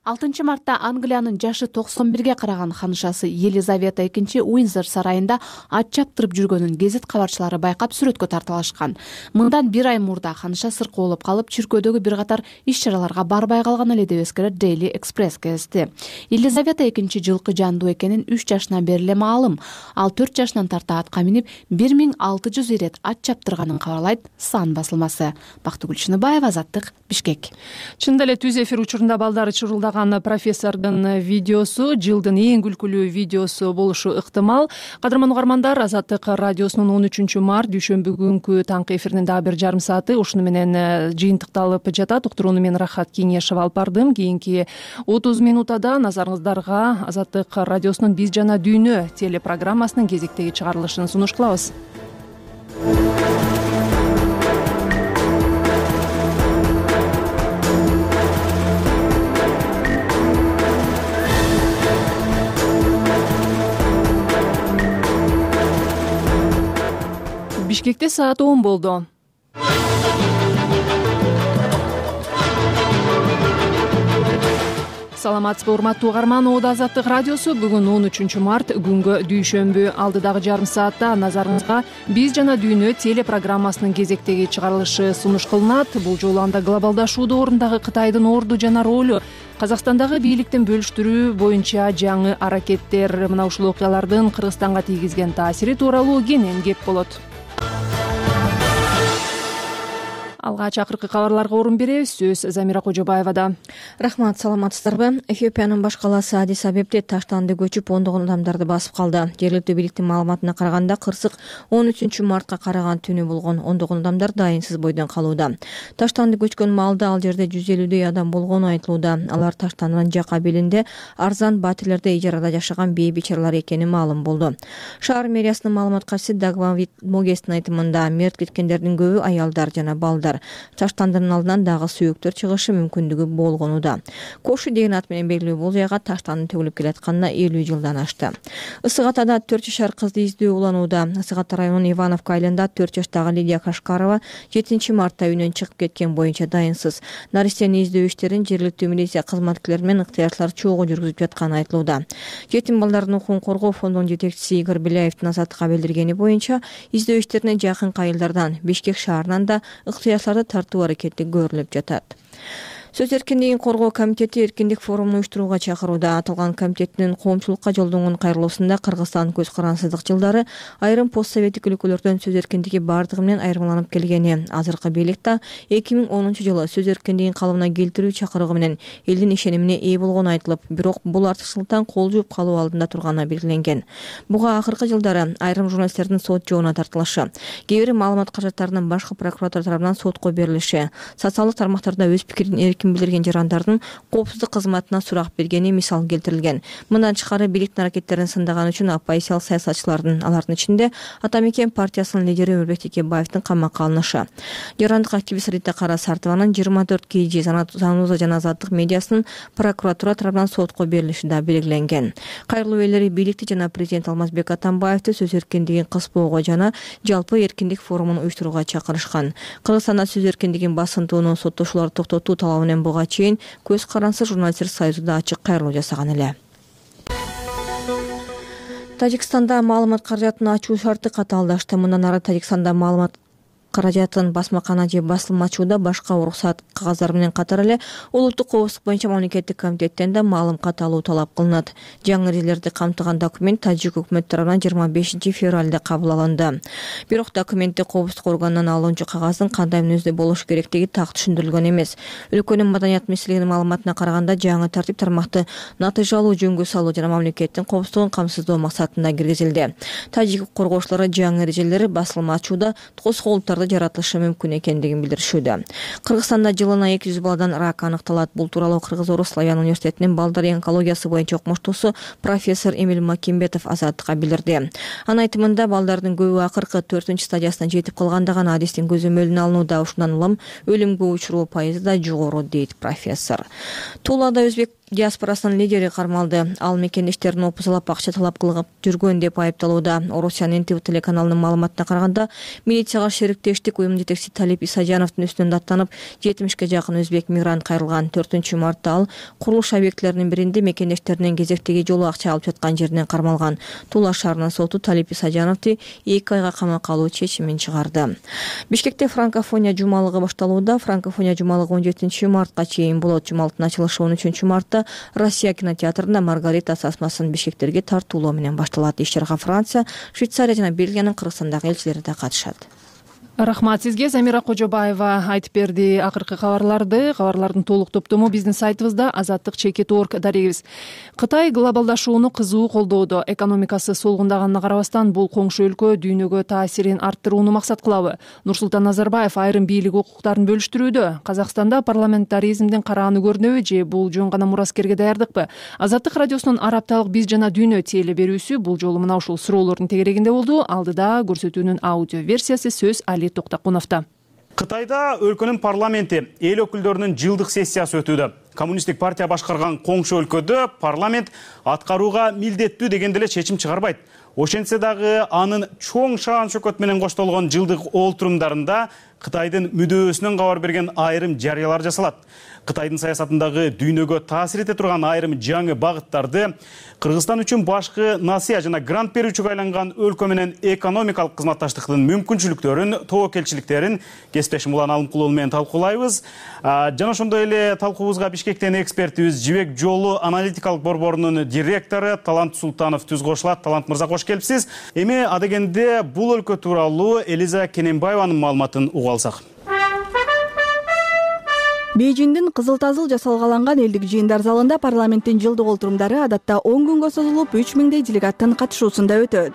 6 мартта Англиянын жашы 91ге караган ханышасы Елизавета II Уиндзор сарайында ат чаптырып жүргөнүн гезит кабарчылары байкап сүрөткө тартылышкан. Мындан 1 ай мурда ханыша сыркоолоп калып, чиркөөдөгү бир катар иш-чараларга барбай калган эле деп эскерет Daily Express газети. Елизавета II жылкы жандуу экенин 3 жашынан бери эле маалым. Ал 4 жашынан тарта атка минип 1600 ирет ат чаптырганын кабарлайт Сан басылмасы. Бактыгүл Чыныбаева, Азаттык, Бишкек. Чындап эле түз эфир учурунда балдары чурулдаган профессордун видеосу жылдын эң күлкүлүү видеосу болушу ыктымал. Кадырман угармандар, Азаттык радиосунун 13 март дүйшөмбү күнкү таңкы эфиринин дагы бир жарым сааты ушуну менен жыйынтыкталып жатат. Уктурууну мен Рахат Кеңешева алып бардым. Кийинки 30 минутада назарыңыздарга Азаттык радиосунун Биз жана дүйнө телепрограммасынын кезектеги чыгарылышын сунуш кылабыз. Бишкекте саат 10 болду. Саламатсызбы, урматтуу угарман. Азаттык радиосу бүгүн 13 март күнгө дүйшөмбү. Алдыдагы жарым саатта назарыңызга Биз жана дүйнө телепрограммасынын кезектеги чыгарылышы сунуш кылынат. Бул жолу анда глобалдашууда ордундагы Кытайдын орду жана ролу, Казакстандагы бийликтин бөлүштүрүү боюнча жаңы аракеттер, мына ушул окуялардын Кыргызстанга тийгизген таасири тууралуу кенен кеп болот. Алгач акыркы кабарларга орун беребиз. Сөз Замира Кожобаевада. Рахмат, саламатсыздарбы? Эфиопиянын баш калаасы Адис Абебде таштанды көчүп ондогон адамдарды басып калды. Жергиликтүү бийликтин маалыматына караганда, кырсык 13 мартка караган түнү болгон. Ондогон адамдар дайынсыз бойдон калууда. Таштанды көчкөн маалда ал жерде 150дөй адам болгону айтылууда. Алар таштандын жак абелинде арзан батирлерде ижарада жашаган бей бичаралар экени маалым болду. Шаар мэриясынын маалымат катчысы Дагвавит Могестин айтымында, мерт кеткендердин көбү аялдар жана балдар. Таштандын алдынан дагы сүйөктөр чыгышы мүмкүндүгү болгонууда. Кошу деген ат менен белгилүү бул жайга таштандын төгүлүп келатканына 50 жылдан ашты. Ысык Атада 4 жашар кызды издөө уланууда. Ысык Ата районунун Ивановка айылында 4 жаштагы Лидия Кашкарова 7 мартта үйүнөн чыгып кеткен боюнча дайынсыз. Наристени издөө иштерин жергиликтүү милиция кызматкерлери менен ыктыярчылар чогуу жүргүзүп жатканы айтылууда. Жетим балдардын укугун коргоо фондунун жетекчиси Игорь Беляевдин Азаттыкка билдиргени боюнча, издөө иштерине жакын айылдардан Бишкек шаарынан да ыктыярчыларды тартуу аракети көрүлүп жатат. Сөз эркиндигин коргоо комитети эркиндик форумун уюштурууга чакырууда. Аталган комитеттин коомчулукка жолдонгон кайрылуусунда Кыргызстан көз карансыздык жылдары айрым постсоветтик өлкөлөрдөн сөз эркиндиги бардыгы менен айырмаланып келгени, азыркы бийлик да 2010 жылы сөз эркиндигин калыбына келтирүү чакырыгы менен элдин ишенимине ээ болгону айтылып, бирок бул артыкчылыктан кол жууп калуу алдында турганы белгиленген. Буга акыркы жылдары айрым журналисттердин сот жообуна тартылышы, кээ бир маалымат каражаттарынын башкы прокуратура тарабынан сотко берилиши, социалдык тармактарда өз пикирин билдирген жарандардын коопсуздук кызматына сурак бергени мисал келтирилген. Мындан тышкары бийликтин аракеттерин сындаган үчүн оппозициялык саясатчылардын, алардын ичинде Ата Мекен партиясынын лидери Өмүрбек Текебаевдин камакка алынышы. Жарандык активист Рита Кара Сартованын 24 KG Зануза жана Азаттык медиасынын прокуратура тарабынан сотко берилиши да белгиленген. Кайрылуу ээлери бийликти жана президент Алмазбек Атамбаевди сөз эркиндигин кыспоого жана жалпы эркиндик форумун уюштурууга чакырышкан. Кыргызстанда сөз эркиндигин басынтууну соттошууларды токтотуу талабы менен буга чейин көз карансыз журналисттер союзу да ачык кайрылуу жасаган эле. Тажикстанда маалымат каражатын ачуу шарты катаалдашты. Мындан ары Тажикстанда маалымат каражатын басмакана же басылма ачууда башка уруксат кагаздар менен катар эле улуттук коопсуздук боюнча мамлекеттик комитеттен да маалым каталуу талап кылынат. Жаңы эрежелерди камтыган документ тажик өкмөтү тарабынан 25 февралда кабыл алынды. Бирок документти коопсуздук органынан алуучу кагаздын кандай мүнөздө болушу керектиги так түшүндүрүлгөн эмес. Өлкөнүн маданият министрлигинин маалыматына караганда, жаңы тартип тармакты натыйжалуу жөнгө салуу жана мамлекеттин коопсуздугун камсыздоо максатында киргизилди. Тажик коргоочулары жаңы эрежелер басылма ачууда тоскоолдуктарды жаратылышы мүмкүн экендигин билдиришүүдө. Кыргызстанда жылына 200 баладан рак аныкталат. Бул тууралуу Кыргыз-Орус Славян университетинин балдар онкологиясы боюнча окумуштуусу профессор Эмил Макимбетов Азаттыкка билдирди. Анын айтымында, балдардын көбү акыркы 4-стадиясына жетип калганда гана адистин көзөмөлүнө алынууда. Ушундан улам өлүмгө учуруу пайызы да жогору, дейт профессор. Туулада Өзбек диаспорасынын лидери кармалды. Ал мекендештерин опузалап акча талап кылып жүргөн деп айыпталууда. Орусиянын НТВ телеканалынын маалыматына караганда, милицияга шериктештик уюм жетекчиси Талип Исажановдун үстүнөн даттанып, 70ке жакын өзбек мигрант кайрылган. 4-мартта ал курулуш объектилеринин биринде мекендештеринен кезектеги жолу акча алып жаткан жеринен кармалган. Тула шаарынын соту Талип Исажановду 2 айга камакка алуу чечимин чыгарды. Бишкекте франкофония жумалыгы башталууда. Франкофония жумалыгы 17-мартка чейин болот. Жумалыктын ачылышы 13-мартта Россия кинотеатрында Маргарита сасмасын бишкектерге тартуулоо менен башталат. Иш-чарага Франция, Швейцария жана Бельгиянын Кыргызстандагы элчилери да катышат. Рахмат сизге. Замира Кожобаева айтып берди акыркы кабарлардын толук топтому биздин сайтыбызда azattik.org дарегибиз. Кытай глобалдашууну кызуу колдоодо. Экономикасы солгундаганына карабастан бул коңшу өлкө дүйнөгө таасирин арттырууну максат кылабы? Нурсултан Назарбаев айрым бийлик укуктарын бөлүштүрүүдө. Казакстанда парламентаризмдин карааны көрүнөбү же бул жөн гана мураскерге даярдыкпы? Азаттык радиосунун арапталык биз жана дүйнө теле берүүсү бул жолу мына ушул суроолордун тегерегинде болду. Алдыда көрсөтүүнүн аудио версиясы сөз Токтакуновдо. Кытайда өлкөнүн парламенти эл өкүлдөрүнүн жылдык сессиясы өтүүдө. Коммунисттик партия башкарган коңшу өлкөдө парламент аткарууга милдеттүү деген деле чечим чыгарбайт. Ошентсе дагы анын чоң шаан шөкөт менен коштолгон жылдык олтурумдарында Кытайдын мүдөөсүнөн кабар берген айрым жарыялар жасалат. Кытайдын саясатындагы дүйнөгө таасир эте турган айрым жаңы багыттарды, Кыргызстан үчүн башкы насыя жана грант берүүчүгө айланган өлкө менен экономикалык кызматташтыктын мүмкүнчүлүктөрүн, тобокелчиликтерин кесиптешим Улан Алымкулова менен талкуулайбыз. Жана ошондой эле талкуубузга Бишкектен экспертибиз Жибек жолу аналитикалык борборунун директору Талант Султанов түз кошулат. Талант мырза, кош келипсиз. Эми адегенде бул өлкө тууралуу Элиза Кененбаеванын маалыматын угуп алсак. Бейжиңдин Кызыл Тазыл жасалгаланган элдик жыйындар залында парламенттин жылдык олтурумдары адатта 10 күнгө созулуп, 3000 делегаттын катышуусунда өтөт.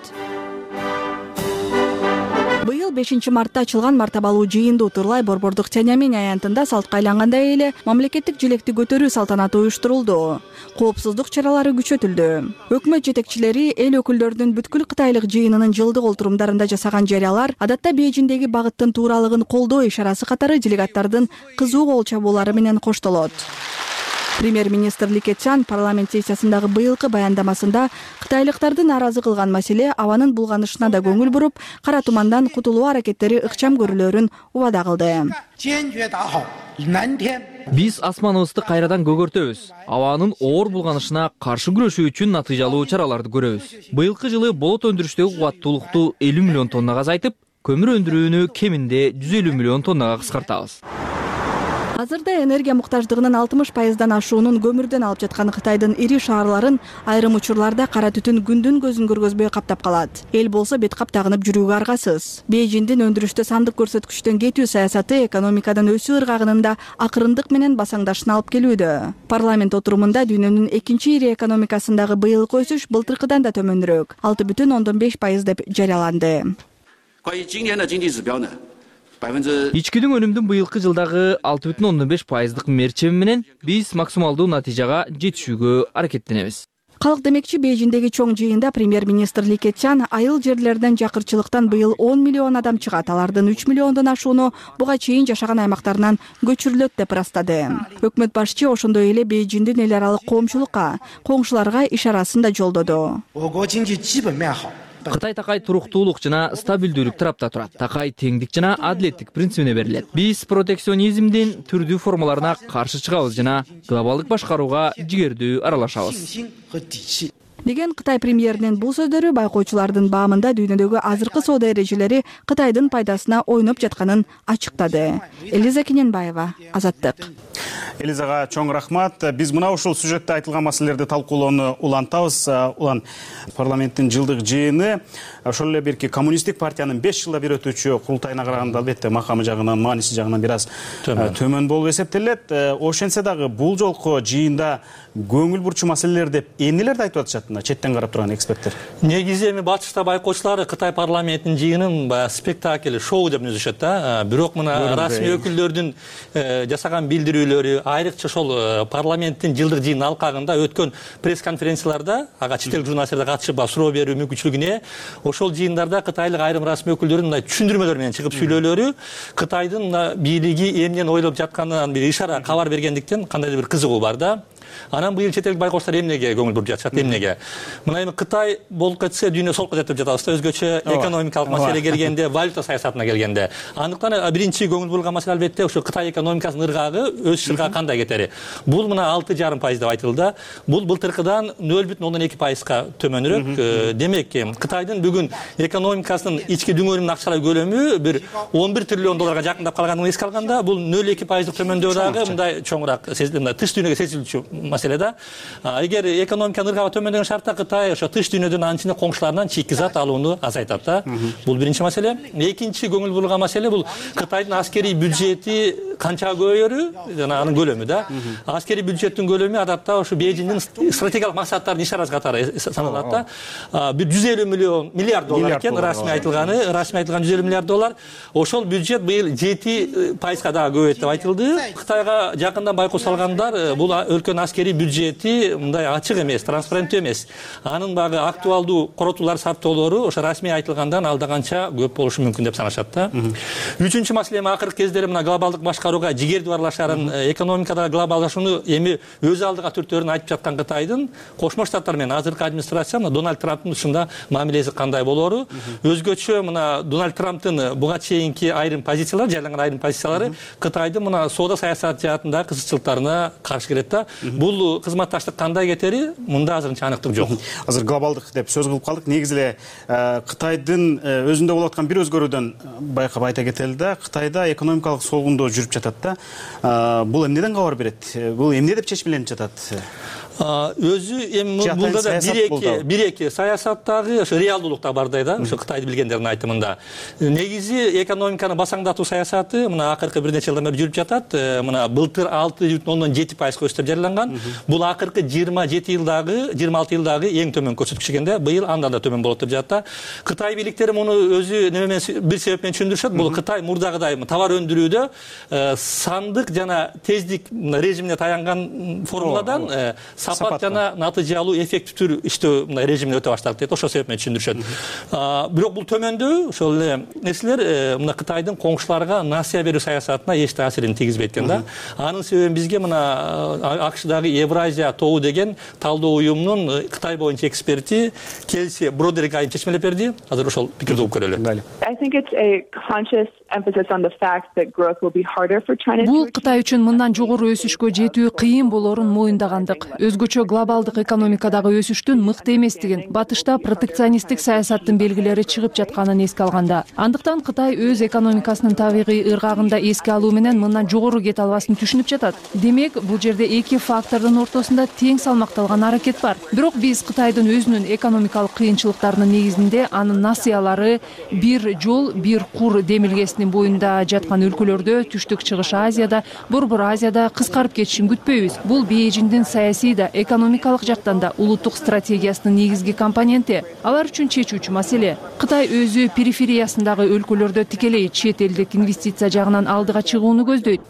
Быйыл 5-мартта ачылган мартабалуу жыйынды утурлай борбордук Тяньаньмэнь аянтында салтка айлангандай эле мамлекеттик желекти көтөрүү салтанаты уюштурулду. Коопсуздук чаралары күчөтүлдү. Өкмөт жетекчилери эл өкүлдөрүнүн бүткүл кытайлык жыйынынын жылдык олтурумдарында жасаган жарыялар адатта Бейжиңдеги багыттын тууралыгын колдоо ишарасы катары делегаттардын кызуу кол чабуулары менен коштолот. Премьер-министр Ли Кечан парламент сессиясындагы быйылкы баяндамасында кытайлыктарды нааразы кылган маселе абанын булганышына да көңүл буруп, кара тумандан кутулуу аракеттери ыкчам көрүлөрүн убада кылды. Биз асманыбызды кайрадан көгөртөбүз. Абанын оор булганышына каршы күрөшүү үчүн натыйжалуу чараларды көрөбүз. Быйылкы жылы болот өндүрүштөгү кубаттуулукту 50 миллион тоннага азайтып, көмүр өндүрүүнү кеминде 150 миллион тоннага кыскартабыз. Азырда энергия муктаждыгынын 60%дан ашуунун көмүрдөн алып жаткан Кытайдын ири шаарларын айрым учурларда кара түтүн күндүн көзүн көргөзбөй каптап калат. Эл болсо бет кап тагынып жүрүүгө аргасыз. Бейжиңдин өндүрүштө сандык көрсөткүчтөн кетүү саясаты экономикадан өсүү ыргагынында акырындык менен басаңдашына алып келүүдө. Парламент отурумунда дүйнөнүн экинчи ири экономикасындагы быйылкы өсүш былтыркыдан да төмөнүрөөк, 6,5% деп жарыяланды. Ичкидин өнүмдүн быйылкы жылдагы 6,5% мерчеми менен биз максималдуу натыйжага жетишүүгө аракеттенебиз. Калк демекчи Бейжиңдеги чоң жыйында премьер-министр Ли Кечан айыл жерлерден жакырчылыктан быйыл 10 миллион адам чыгат, алардын 3 миллиондон ашууну буга чейин жашаган аймактарынан көчүрүлөт деп ырастады. Өкмөт башчы ошондой эле Бейжиңдин эл аралык коомчулукка, коңшуларга ишарасын да жолдоду. Кытай такай туруктуулук жана стабилдүүлүк тарапта турат. Такай теңдик жана адилеттик принцибине берилет. Биз протекционизмдин түрдүү формаларына каршы чыгабыз жана глобалдык башкарууга жигердүү аралашабыз. Деген Кытай премьеринин бул сөздөрү байкоочулардын баамында дүйнөдөгү азыркы соода эрежелери Кытайдын пайдасына ойноп жатканын ачыктады. Элиза Кененбаева, Азаттык. Элизага чоң рахмат. Биз мына ушул сюжетте айтылган маселелерди талкуулоону улантабыз. Улан, парламенттин жылдык жыйыны ошол эле бирки коммунисттик партиянын 5 жылда бир өтүүчү курултайына караганда албетте макамы жагынан, мааниси жагынан бир аз төмөн болуп эсептелет. Ошентсе дагы бул жолку жыйында көңүл бурчу маселелер деп эмнелерди айтып атышат мына четтен карап турган эксперттер? Негизи эми батышта байкоочулар Кытай парламентинин жыйынын баягы спектакль, шоу деп түзүшөт да. Бирок мына расмий өкүлдөрдүн жасаган билдирүүлөрү, айрыкча ошол парламенттин жылдык жыйынын алкагында өткөн пресс-конференцияларда, ага чет эл журналисттер катышып суроо берүү мүмкүнчүлүгүнө ошол жыйындарда кытайлык айрым расмий өкүлдөрүнүн мындай түшүндүрмөлөр менен чыгып сүйлөөлөрү Кытайдын бийлиги эмнени ойлоп жатканынан бир ишара кабар бергендиктен кандайдыр бир кызыгуу бар да. Анан быйыл чет элдик байкоштор эмнеге көңүл буруп жатышат, эмнеге? Мына эми Кытай болуп кетсе дүйнө солко кетип жатабыз да, өзгөчө экономикалык маселе келгенде, валюта саясатына келгенде. Андыктан биринчи көңүл бурулган маселе албетте ушу Кытай экономикасынын ыргагы өз ыргагы кандай кетери. Бул мына 6,5% деп айтылды. Бул былтыркыдан 0,2%га төмөнүрөөк. Демек, Кытайдын бүгүн экономикасынын ички дүңөнүнүн акчалай көлөмү бир 11 триллион долларга жакындап калганын эске алганда, бул 0,2% төмөндөү дагы мындай чоңураак тыш дүйнөгө сезилчү маселе да. Эгер экономиканын ыргагы төмөндөгөн шартта Кытай ошо тыш дүйнөдөн анча коңшуларынан чийки зат алууну азайтат да. Бул биринчи маселе. Экинчи көңүл бурулган маселе бул Кытайдын аскерий бюджети канча көбөйөрү, жана анын көлөмү да. Аскерий бюджеттин көлөмү адатта ошо Бейжиңдин стратегиялык максаттарын иш-чарасы катары саналат да. Бир 150 миллиард доллар экен расмий айтылган 150 миллиард доллар. Ошол бюджет быйыл 7%га дагы көбөйөт деп айтылды. Кытайга жакындан байкоо салгандар бул өлкөнүн аскерий бюджети мындай ачык эмес, транспаренттүү эмес. Анын багы актуалдуу коротуулар, сарптоолору ошо расмий айтылгандан алда канча көп болушу мүмкүн деп санашат да. Үчүнчү маселе акыркы кездери мына глобалдык башкарууга жигерди барлашарын, экономикадагы глобалдашууну эми өз алдыга түртөөрүн айтып жаткан Кытайдын Кошмо Штаттар менен азыркы администрация мына Дональд Трамптын ушунда мамилеси кандай болору, өзгөчө мына Дональд Трамптын буга чейинки айрым позициялары, жайланган айрым позициялары Кытайдын мына соода саясаты жаатындагы кызыкчылыктарына каршы келет да. Бул кызматташтык кандай кетери мында азырынча аныктык жок. Азыр глобалдык деп сөз кылып калдык. Негизи эле Кытайдын өзүндө болуп аткан бир өзгөрүүдөн байкап айта кетели да. Кытайда экономикалык солгундоо жүрүп жатат да. Бул эмнеден кабар берет? Бул эмне деп чечмеленип жатат? Өзү эми бул да бир-эки саясаттагы ошо реалдуулукта бардай да, ошо Кытайды билгендердин айтымында. Негизи экономиканы басаңдатуу саясаты мына акыркы бир нече жылдан бери жүрүп жатат. Мына былтыр 6,7% өсүп жарыяланган. Бул акыркы 26 жылдагы эң төмөн көрсөткүч экенде, быйыл андан да төмөн болот деп жатат. Кытай бийликтери муну өзү неме менен бир себеп менен түшүндүрүшөт. Бул Кытай мурдагыдай товар өндүрүүдө сандык жана тездик режимине таянган формуладан сапат жана натыйжалуу эффективдүү иштөө режимине өтө баштады дейт. Ошол себеп менен түшүндүрүшөт. Бирок бул төмөндөө ошол эле нерселер мына Кытайдын коңшуларга насыя берүү саясатына эч таасирин тийгизбейт экен да. Анын себебин бизге мына АКШдагы Евразия тобу деген талдоо уюмунун Кытай боюнча эксперти Келси Бродерик айым чечмелеп берди. Азыр ошол пикирди угуп көрөлү. Бул Кытай үчүн мындан жогору өсүшкө жетүү кыйын болорун моюндагандык. Өзгөчө глобалдык экономикадагы өсүштүн мыкты эместигин, батышта протекционисттик саясаттын белгилери чыгып жатканын эске алганда. Андыктан Кытай өз экономикасынын табигый ыргагында эске алуу менен мындан жогору кете албасын түшүнүп жатат. Демек, бул жерде эки фактордун ортосунда тең салмакталган аракет бар. Бирок биз Кытайдын өзүнүн экономикалык кыйынчылыктарынын негизинде анын насыялары бир жол, бир кур демилгесинин боюнда жаткан өлкөлөрдө, Түштүк Чыгыш Азияда, Борбор Азияда кыскарып кетишин күтпөйбүз. Бул Бейжиңдин саясий да, экономикалык жактан да улуттук стратегиясынын негизги компоненти. Алар үчүн чечүүчү маселе. Кытай өзү перифериясындагы өлкөлөрдө тикелей чет элдик инвестиция жагынан алдыга чыгууну көздөйт.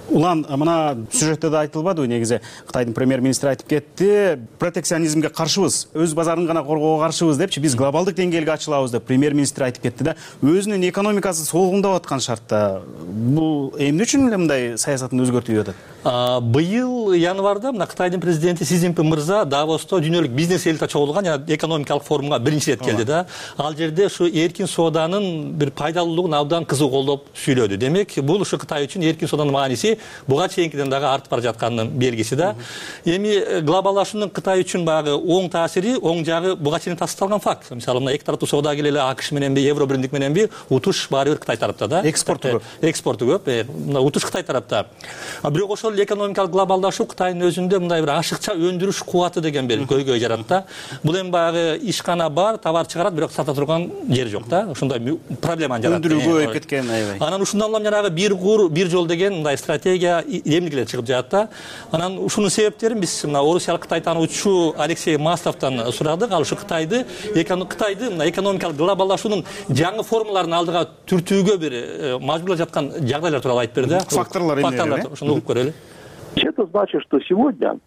Улан мына сюжетте да айтылбадыбы, негизи Кытайдын премьер-министри айтып кетти, протекционизмге каршыбыз, өз базарын гана коргоого каршыбыз депчи, биз глобалдык деңгээлге ачылабыз деп премьер-министр айтып кетти да. Өзүнүн экономикасы солгундап аткан шартта бул эмне үчүн эле мындай саясатын өзгөртүп атат? Быйыл январда мына Кытайдын президенти Си Цзиньпин мырза Давосто дүйнөлүк бизнес элита чогулган жана экономикалык форумга биринчи ирет келди да. Ал жерде ушу эркин сооданын бир пайдалуулугун абдан кызуу колдоп сүйлөдү. Демек, бул ушу Кытай үчүн эркин сооданын мааниси буга чейинкиден дагы артып бара жатканынын белгиси да. Эми глобалдашуунун Кытай үчүн багы оң таасири, оң жагы буга чейин тасталган факт. Мисалы мына эки тараптуу соода келели АКШ мененби, Евро биримдик мененби, утуш баары бир Кытай тарапта да. Экспорту көп. Мына утуш Кытай тарапта. Бирок ошол экономикалык глобалдашуу Кытайдын өзүндө мындай бир ашыкча өндүрүш кубаты деген бир көйгөй жарат да. Бул эми багы ишкана бар, товар чыгарат, бирок сата турган жери жок да. Ошондой проблеманы жарат. Өндүрүү көбөйүп кеткен, аябай. Анан ушундан улам жанагы бир кур, бир жол деген мындай стратегия эмнегелер чыгып жатат да. Анан ушунун себептерин биз мына орусиялык Кытай таануучу Алексей Масловдон сурадык. Ал ушу Кытайды мына экономикалык глобалдашуунун жаңы формаларын алдыга түртүүгө бир мажбурлап жаткан жагдайлар тууралуу айтып берди. Факторлор эмне? Ошону угуп көрөлү. Это значит, что сегодня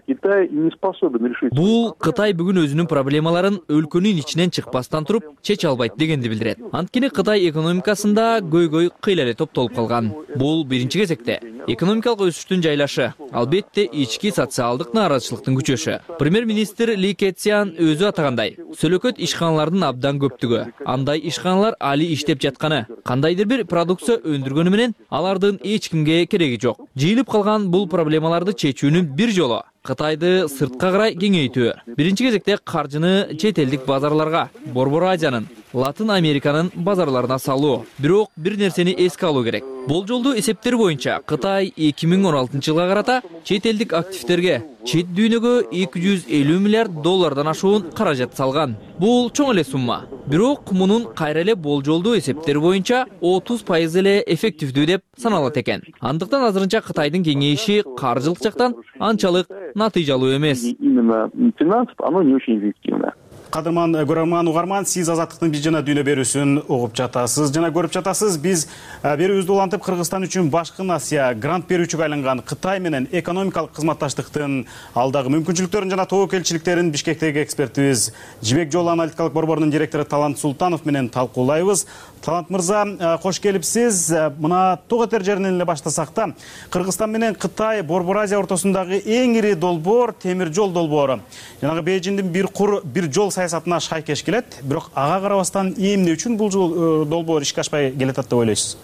Китай не способен решить. Бул Кытай бүгүн өзүнүн проблемаларын өлкөнүн ичинен чыкпастан туруп чече албайт дегенди билдирет. Анткени Кытай экономикасында көйгөй кыйла эле топтолуп калган. Бул биринчи кезекте. экономикалык өсүштүн жайлашы, албетте ички социалдык нааразычылыктын күчөшү. Премьер-министр Ли Кэцян өзү атагандай, сөлөкөт ишканалардын абдан көптүгү, андай ишканалар али иштеп жатканы, кандайдыр бир продукция өндүргөнү менен алардын эч кимге кереги жок. Жыйылып калган бул проблемаларды чечүүнүн бир жолу Кытайды сыртка карай кеңейтүү. Биринчи кезекте каржыны чет элдик базарларга, Борбор Азиянын, Латын Американын базарларына салуу. Бирок бир нерсени эске алуу керек. Болжолдуу эсептер боюнча Кытай 2016-жылга карата чет элдик активтерге, чет дүйнөгө 250 миллиард доллардан ашуун каражат салган. Бул чоң эле сумма. Бирок мунун кайра эле болжолдуу эсептер боюнча 30% эле эффективдүү деп саналат экен. Андыктан азырынча Кытайдын кеңейиши каржылык жактан анчалык натыйжалуу эмес. Именно финансов оно не очень эффективно. Кадырман көрөрман угарман, сиз Азаттыктын биз жана дүйнө берүүсүн угуп жатасыз жана көрүп жатасыз. Биз берүүбүздү улантып Кыргызстан үчүн Башкы Асия грант берүүчүгө айланган Кытай менен экономикалык кызматташтыктын алдагы мүмкүнчүлүктөрүн жана тобокелчиликтерин Бишкектеги экспертибиз Жибек Жол аналитикалык борборунун директору Талант Султанов менен талкуулайбыз. Талант мырза, кош келипсиз. Мына Тоготер жеринен эле баштасак да, Кыргызстан менен Кытай Борбор Азия ортосундагы эң ири долбоор темир жол долбоору. Жанагы Бейжиңдин бир жол саясатына шайкеш келет, бирок ага карабастан эмне үчүн бул жол долбоор ишке ашпай келатат деп ойлойсуз?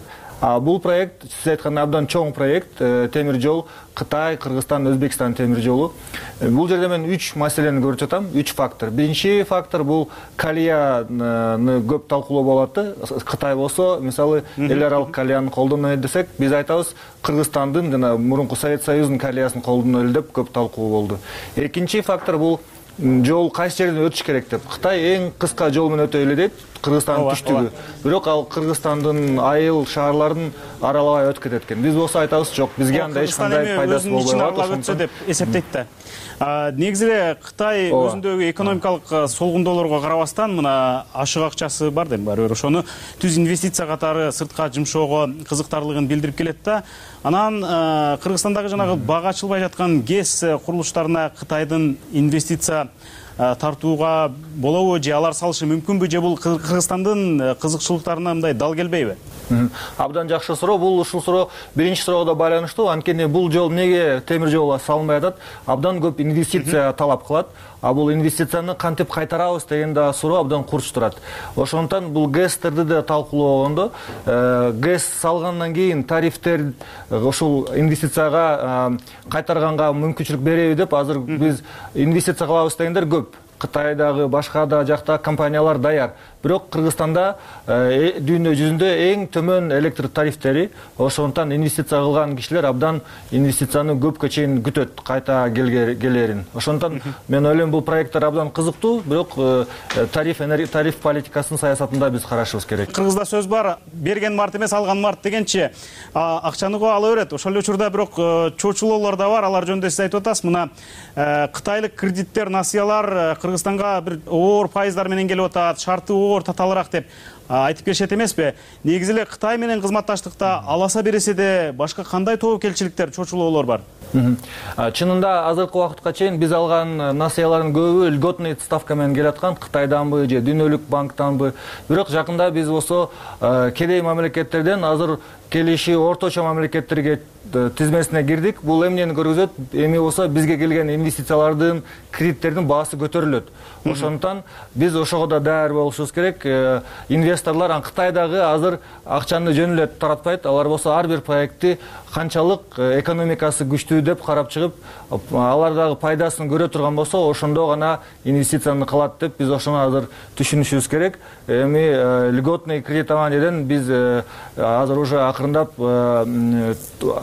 Бул проект, сиз айткандай, абдан чоң проект. Темир жол Кытай, Кыргызстан, Өзбекстан темир жолу. Бул жерде мен 3 маселени көрүп жатам, 3 фактор. Биринчи фактор бул калияны көп талкуулоо болот. Кытай болсо, мисалы, эл аралык калияны колдонот десек, биз айтабыз, Кыргызстандын жана мурунку Совет Союзунун калиясын колдонот деп көп талкуу болду. Экинчи фактор бул жол кайсы жерден өтүш керек деп. Кытай эң кыска жол менен өтө эле дейт, Кыргызстандын түштүгү. Бирок ал Кыргызстандын айыл шаарларын аралабай өтүп кетет экен. Биз болсо айтабыз, жок, бизге анда эч кандай пайдасы болбойт ошондо деп эсептейт да. Негизи эле Кытай өзүндөгү экономикалык солгундоолорго карабастан мына ашык акчасы бар дейм, барыбир ошону түз инвестиция катары сыртка жумшоого кызыктарлыгын билдирип келет да. Анан Кыргызстандагы жанагы бага ачылбай жаткан ГЭС курулуштарына Кытайдын инвестиция тартууга болобу же алар салышы мүмкүнбү, же бул Кыргызстандын кызыкчылыктарына мындай дал келбейби? Абдан жакшы суроо. Бул ушул суроо биринчи суроого да байланыштуу. Анткени бул жол эмнеге темир жол салынбай атат? Абдан көп инвестиция талап кылат. А бул инвестицияны кантип кайтарабыз деген да суроо абдан курч турат. Ошондуктан бул ГЭСтерди да талкуулогондо, ГЭС салгандан кийин тарифтер ушул инвестицияга кайтарганга мүмкүнчүлүк береби деп азыр биз инвестиция кылабыз дегендер көп. Кытайдагы башка да жакта компаниялар даяр. Бирок Кыргызстанда дүйнө жүзүндө эң төмөн электр тарифтери, ошондуктан инвестиция кылган кишилер абдан инвестицияны көпкө чейин күтөт кайта келерин. Ошондуктан мен ойлойм бул проекттер абдан кызыктуу, бирок тариф политикасынын саясатында биз карашыбыз керек. Кыргызда сөз бар, берген март эмес, алган март дегенчи, акчаны го ала берет. Ошол учурда бирок чочулоолор да бар, алар жөнүндө сиз айтып атасыз. Мына кытайлык кредиттер, насыялар Кыргызстанга бир оор пайыздар менен келип атат, шарты оор татаалыраак деп айтып келишет эмеспи? Негизи эле Кытай менен кызматташтыкта аласа бересе де башка кандай тобокелчиликтер, чочулоолор бар? Чынында азыркы убакытка чейин биз алган насыялардын көбү льготный ставка менен келаткан, Кытайданбы же дүйнөлүк банктанбы. Бирок жакында биз болсо кедей мамлекеттерден азыр келиши орточо мамлекеттерге тизмесине кирдик. Бул эмнени көргөзөт? Эми болсо бизге келген инвестициялардын, кредиттердин баасы көтөрүлөт. Ошондуктан биз ошого да даяр болушубуз керек. Инвесторлор Кытайдагы азыр акчаны жөн эле таратпайт. Алар болсо ар бир проектти канчалык экономикасы күчтүү деп карап чыгып, алардагы пайдасын көрө турган болсо, ошондо гана инвестицияны кылат деп биз ошону азыр түшүнүшүбүз керек. Эми льготный кредитованиеден биз азыр уже акырындап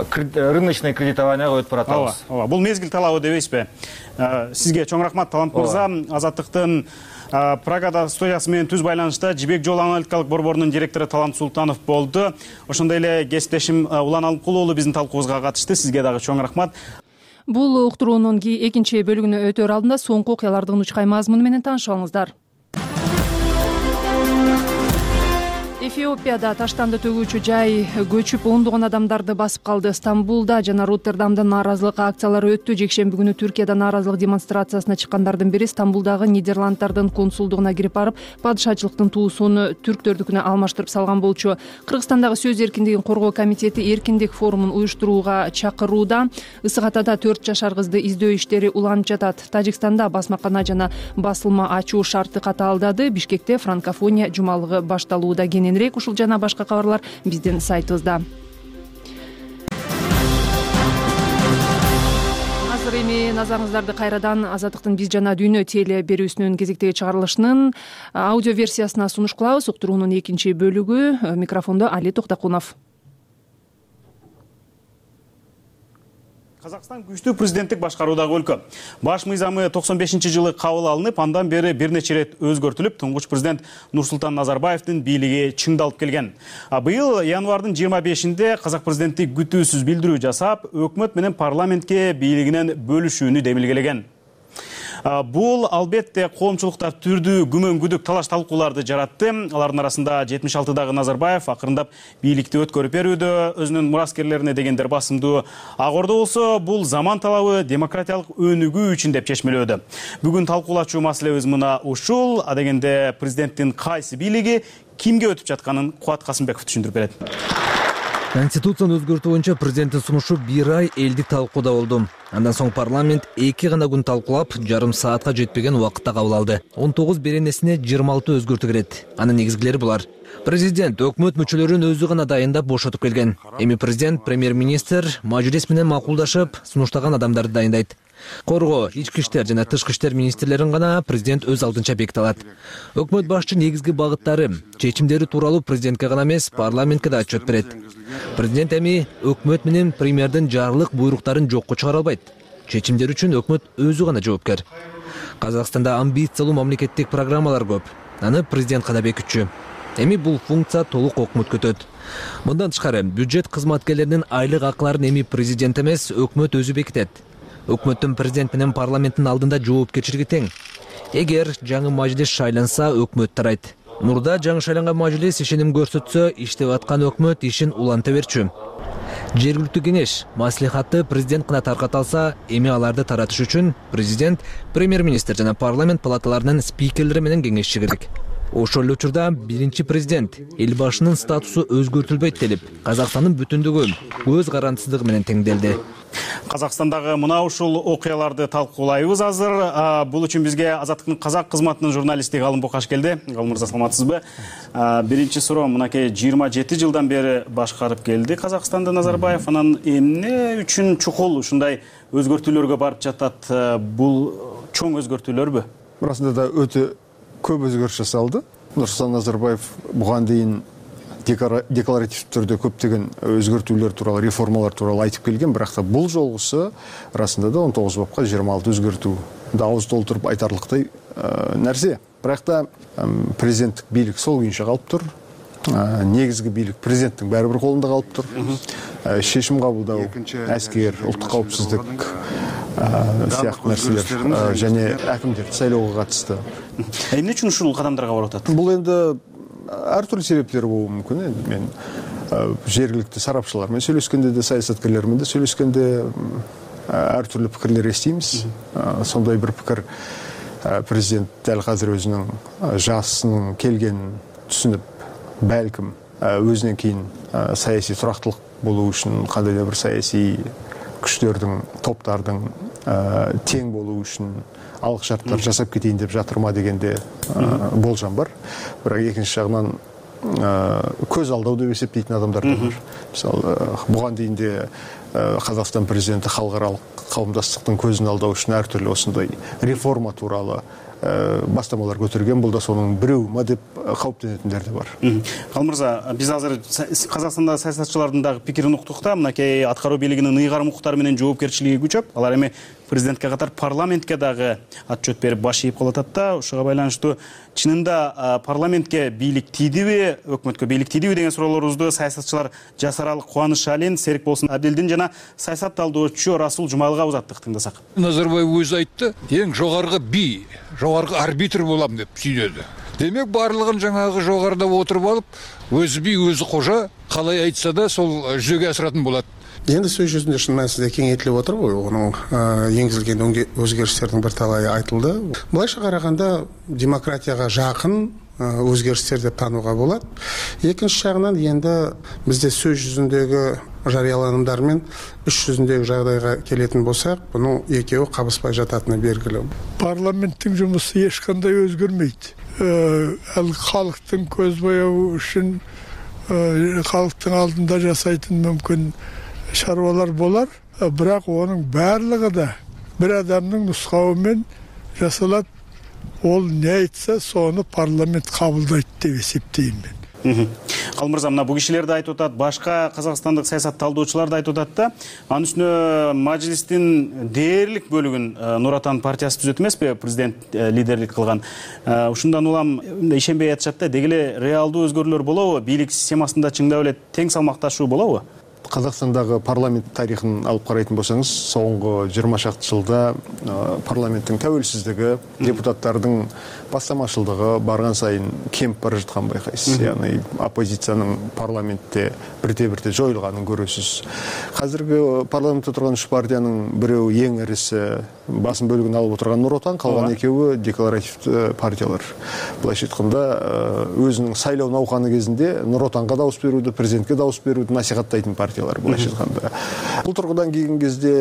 рыночный кредитованияга өтүп баратабыз. Бул мезгил талабы дебейсизби? Сизге чоң рахмат, Талант мырза. Азаттыктын Прагада студиясы менен түз байланышта Жибек Жол аналитикалык борборунун директору Талант Султанов болду. Ошондой эле кесиптешим Улан Алымкулуулу биздин талкуубузга катышты. Сизге дагы чоң рахмат. Бул уктуруунун экинчи бөлүгүнө өтөр алдында соңку окуялардын учкай мазмуну менен таанышып алыңыздар. Эфиопияда таштанды төгүүчү жай көчүп ондогон адамдарды басып калды. Стамбулда жана Роттердамда нааразылык акциялары өттү. Жекшемби күнү Түркияда нааразылык демонстрациясына чыккандардын бири Стамбулдагы Нидерланддардын консулдугуна кирип барып, падышачылыктын туусун түрктөрдүкүнө алмаштырып салган болчу. Кыргызстандагы сөз эркиндигин коргоо комитети эркиндик форумун уюштурууга чакырууда. Ысык Атада 4 жашар кызды издөө иштери уланып жатат. Тажикстанда басмакана жана басылма ачуу шарты катаалдады. Бишкекте франкофония жумалыгы башталууда. Кененирээк ушул жана башка кабарлар биздин сайтыбызда. Азыр эми назарыңыздарды кайрадан Азаттыктын Биз жана дүйнө теле берүүсүнүн кезектеги чыгарылышынын аудио версиясына сунуш кылабыз. Уктуруунун экинчи бөлүгү. Микрофондо Али Токтокунов. Казакстан күчтүү президенттик башкаруудагы өлкө. Баш мыйзамы 95-жылы кабыл алынып, андан бери бир нече ирет өзгөртүлүп, туңгуч президент Нурсултан Назарбаевдин бийлиги чыңдалып келген. Быйыл январдын 25-inde казак президенти күтүүсүз билдирүү жасап, өкмөт менен парламентке бийлигинен бөлүшүүнү демилгелеген. Бул албетте коомчулукта түрдүү күмөн күдүк талаш талкууларды жаратты. Алардын арасында 76-дагы Назарбаев акырындап бийликти өткөрүп берүүдө, өзүнүн мураскерлерине дегендер басымдуу. Ак Ордо болсо бул заман талабы демократиялык өнүгүү үчүн деп чечмелөөдө. Бүгүн талкуулачу маселебиз мына ушул. Адегенде президенттин кайсы бийлиги кимге өтүп жатканын Кубат Касымбеков түшүндүрүп берет. Конституцияны өзгөртүү боюнча президенттин сунушу 1 ай элдик талкууда болду. Андан соң парламент 2 гана күн талкуулап, жарым саатка жетпеген убакытта кабыл алды. 19 беренесине 26 өзгөртүү кирет. Анын негизгилери булар. Президент өкмөт мүчөлөрүн өзү гана дайындап бошотуп келген. Эми президент, премьер-министр мажлис менен макулдашып, сунуштаган адамдарды дайындайт. Коргоо, ички иштер жана тышкы иштер министрлерин гана президент өз алдынча беките алат. Өкмөт башчы негизги багыттары, чечимдери тууралуу президентке гана эмес, парламентке да отчет берет. Президент эми өкмөт менен премьердин жарлык буйруктарын жокко чыгара албайт. Чечимдер үчүн өкмөт өзү гана жоопкер. Казакстанда амбициялуу мамлекеттик программалар көп. Аны президент гана бекитчү. Эми бул функция толук өкмөткө өтөт. Мындан тышкары, бюджет кызматкерлеринин айлык акыларын эми президент эмес, өкмөт өзү бекитет. Өкмөттүн президент менен парламенттин алдында жоопкерчилиги тең. Эгер жаңы мажлис шайланса, өкмөт тарайт. Мурда жаңы шайланган мажлис ишеним көрсөтсө, иштеп аткан өкмөт ишин уланта берчү. Жергиликтүү кеңеш, маслихатты президент гана тарката алса, эми аларды таратыш үчүн президент, премьер-министр жана парламент палаталарынын спикерлери менен кеңешчи керек. Ошол эле учурда биринчи президент эл башынын статусу өзгөртүлбөйт делип, Казакстандын бүтүндүгү көз карандысыздыгы менен теңделди. Казакстандагы мына ушул окуяларды талкуулайбыз азыр. Бул үчүн бизге Азаттыктын казак кызматынын журналисти Галым Бокаш келди. Галым мырза, саламатсызбы? Биринчи суроо, мынакей 27 жылдан бери башкарып келди Казакстанды Назарбаев. Анан эмне үчүн чукул ушундай өзгөртүүлөргө барып жатат? Бул чоң өзгөртүүлөрбү? Расында да өтө көп өзгөрүш жасалды. Нурсултан Назарбаев буга дейин декларативдүү түрдө көптөгөн өзгөртүүлөр тууралуу, реформалар тууралуу айтып келген, бирок та бул жолгусу расында да 19 бапка 26 өзгөртүү да ауыз толтуруп айтарлыктай нерсе. Бирок та президенттик бийлик сол күйүнчө калып тур. Негизги бийлик президенттин баары бир колунда калып тур. Чечим кабылдоо, аскер, улуттук коопсуздук сыяктуу нерселер және акимдерди сайлоого катышты. Эмне үчүн ушул кадамдарга барып атат? Бул эми ар түрдүү себептер болушу мүмкүн. Мен жергиликтүү сарапчылар менен сүйлөшкөндө да, саясаткерлер менен да сүйлөшкөндө ар түрдүү пикирлер эстейбиз. Сондай бир пикир президент дәл азыр өзүнүн жасынын келгенин түшүнүп, балким өзүнөн кийин саясий турактылык болуу үчүн, кандайдыр бир саясий күчтөрдүн, топтардын тең болуу үчүн алык шарттар жасап кетейин деп жатырма дегенде болжам бар. Бирок экинчи жагынан көз алдоо деп эсептейтин адамдар да бар. Мисалы, буга дейин де Казакстан президенти халыкаралык кауымдастыктын көзүн алдоо үчүн ар түрдүү осундай реформа тууралуу бастамалар көтөргөн. Бул да сонун бирөөмө деп кауптенетиндер да бар. Галым мырза, биз азыр Казакстанда саясатчылардын дагы пикирин уктук да, мынакей аткаруу бийлигинин ыйгарым укуктары менен жоопкерчилиги күчөп, алар эми президентке катар парламентке дагы отчет берип баш ийип калатат да. Ушуга байланыштуу чынында парламентке бийлик тийдиби, өкмөткө бийлик тийдиби деген суроолорубузду саясатчылар Жасаралы Кубанышалин, Серик Болсун Абдилдин жана саясат талдоочу Расул Жумалыга узаттык, тыңдасак. Назарбаев өзү айтты, эң жогорку би, жогорку арбитр болам деп сүйлөдү. демек барлығын жаңағы жоғарыда отырып алып, өзі би, өзі қожа, қалай айтса да сол жүзеге асыратын болады. Енді сөз жүзінде шын мәнісінде кеңейтіліп отыр ғой, оның енгізілген өзгерістердің бірталайы айтылды. Былайша қарағанда демократияға жақын өзгерістер деп тануға болады. Екінші жағынан енді бізде сөз жүзіндегі жарияланымдар мен іс жүзіндегі жағдайға келетін болсақ, бұның екеуі қабыспай жататыны белгілі. Парламенттің жұмысы ешқандай өзгермейді. Халықтың көзбояуы үшін халықтың алдында жасайтын мүмкін шаруалар болар, бірақ оның барлығы да бір адамның нұсқауымен жасалады. Ол не айтса, соны парламент қабылдайды деп есептеймін мен. Ал мырза, мына бұл кишилерді айтып отады, башқа қазақстандық саясат талдоочуларды айтып отады да, анын үстүнө мажлистин дээрлик бөлүгүн Нур Отан партиясы түзөт эмес пе, президент лидерлик кылган. Ушундан улам ишенбей атышат да, деги эле реалдуу өзгөрүүлөр болобу, бийлик системасында чындап эле тең салмакташуу болобу? Қазақстандағы парламент тарихын алып қарайтын болсаңыз, соңғы 20 шақты жылда парламенттің тәуелсіздігі, депутаттардың бастамашылдығы барған сайын кеміп бара жатқан байқайсыз. Яғни оппозицияның парламентте бірте-бірте жойылғанын көресіз. Қазіргі парламентте тұрған үш партияның біреуі ең ірісі басым бөлігін алып отырған Нұр Отан, қалған екеуі декларативті партиялар. Былайша айтқанда өзінің сайлау науқаны кезінде Нұр Отанға дауыс беруді, президентке дауыс беруді насихаттайтын партиялар былайша айтқанда. Бұл тұрғыдан келген кезде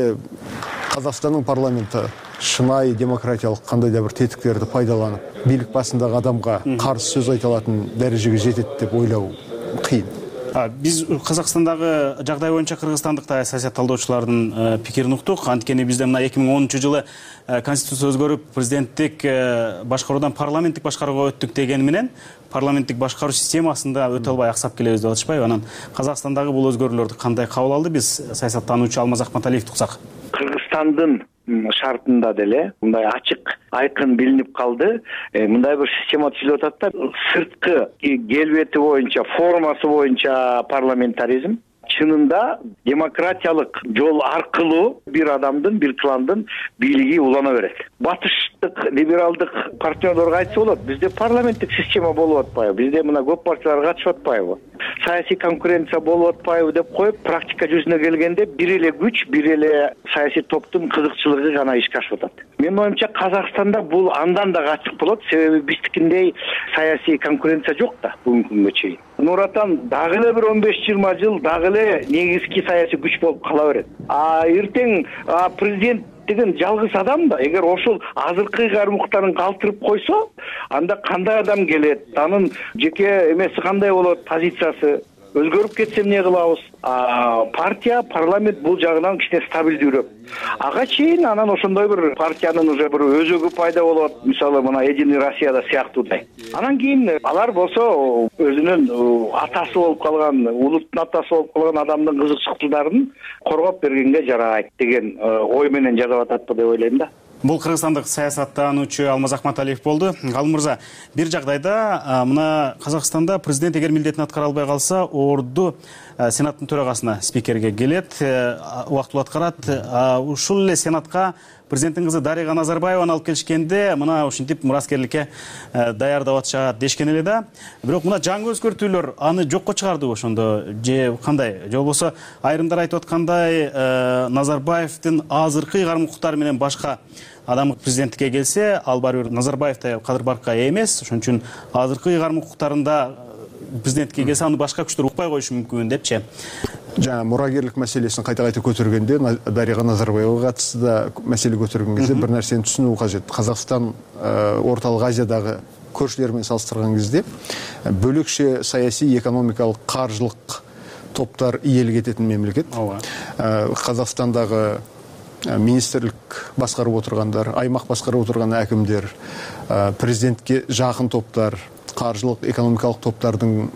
Қазақстанның парламенті шынайы демократиялық қандай да бір тетіктерді пайдаланып, билік басындағы адамға қарсы сөз айта алатын дәрежеге жетеді деп ойлау қиын. Биз Қазақстандағы жағдай боюнча Кыргызстандык саясат талдоочулардын пикирин уктук. Анткени бизде мына 2010 жылы конституция өзгөрүп, президенттик башкаруудан парламенттик башкарууга өттүк деген менен парламенттик башкаруу системасында өтө албай аксап келебиз деп атышпайбы? Анан Казакстандагы бул өзгөрүүлөрдү кандай кабыл алды биз саясаттануучу Алмаз Акматалиевди уксак? Кыргызстандын шартында деле мындай ачык айкын билинип калды. Мындай бир система түзүлүп атат да, сырткы келбети боюнча, формасы боюнча парламентаризм, чынында демократиялык жол аркылуу бир адамдын, бир кландын бийлиги улана берет. Батыштык либералдык партнерлорго айтса болот, бизде парламенттик система болуп атпайбы, бизде мына көп партиялар катышып атпайбы, саясий конкуренция болуп атпайбы деп коюп, практика жүзүнө келгенде бир эле күч, бир эле саясий топтун кызыкчылыгы гана ишке ашып атат. Менин оюмча Казакстанда бул андан да ачык болот, себеби биздикиндей саясий конкуренция жок да бүгүнкү күнгө чейин. Нур Отан дагы эле бир 15-20 жыл дагы эле негизги саясий күч болуп кала берет. Эртең президент деген жалгыз адам да, эгер ошол азыркы кармуктарын калтырып койсо, анда кандай адам келет, анын жеке эмеси кандай болот, позициясы өзгөрүп кетсе эмне кылабыз? Партия, парламент бул жагынан кичине стабилдүүрөөк. Ага чейин анан ошондой бир партиянын уже бир өзөгү пайда болот, мисалы мына Единый Россияда сыяктуудай. Анан кийин алар болсо өзүнүн атасы болуп калган, улуттун атасы болуп калган адамдын кызыкчылыктарын коргоп бергенге жарайт деген ой менен жазып атат деп ойлойм да. Бул кыргызстандык саясаттануучу Алмаз Акматалиев болду. Ал мырза, бир жагдайда мына Казакстанда президент эгер милдетин аткара албай калса, орду сенаттын төрагасына, спикерге келет, убактылуу аткарат. Ушул эле сенатка президенттин кызы Дарига Назарбаеваны алып келишкенде, мына ушинтип мураскерликке даярдап атышат дешкен эле да. Бирок мына жаңы өзгөртүүлөр аны жокко чыгардыбы ошондо же кандай? Же болбосо айрымдар айтып аткандай Назарбаевдин азыркы кармуктары менен башка адам президенттикке келсе, ал барбир Назарбаевтай кадыр баркка ээ эмес, ошон үчүн азыркы кармуктарында президентке келсе, аны башка күчтөр укпай коюшу мүмкүн депчи. Жаңа мурагерлик мәселесин кайта-кайта көтөргөндө, Дарига Назарбаевага катысты да маселе көтөргөн кезде бир нерсени түшүнүү кажет. Казакстан Орталык Азиядагы көршүлөрү менен салыштырган кезде бөлөкчө саясий, экономикалык, каржылык топтар ийелик этетін мемлекет. Казакстандагы министрлик баскарып отургандар, аймак баскарып отурган әкимдер, президентке жакын топтар, каржылык, экономикалык топтардын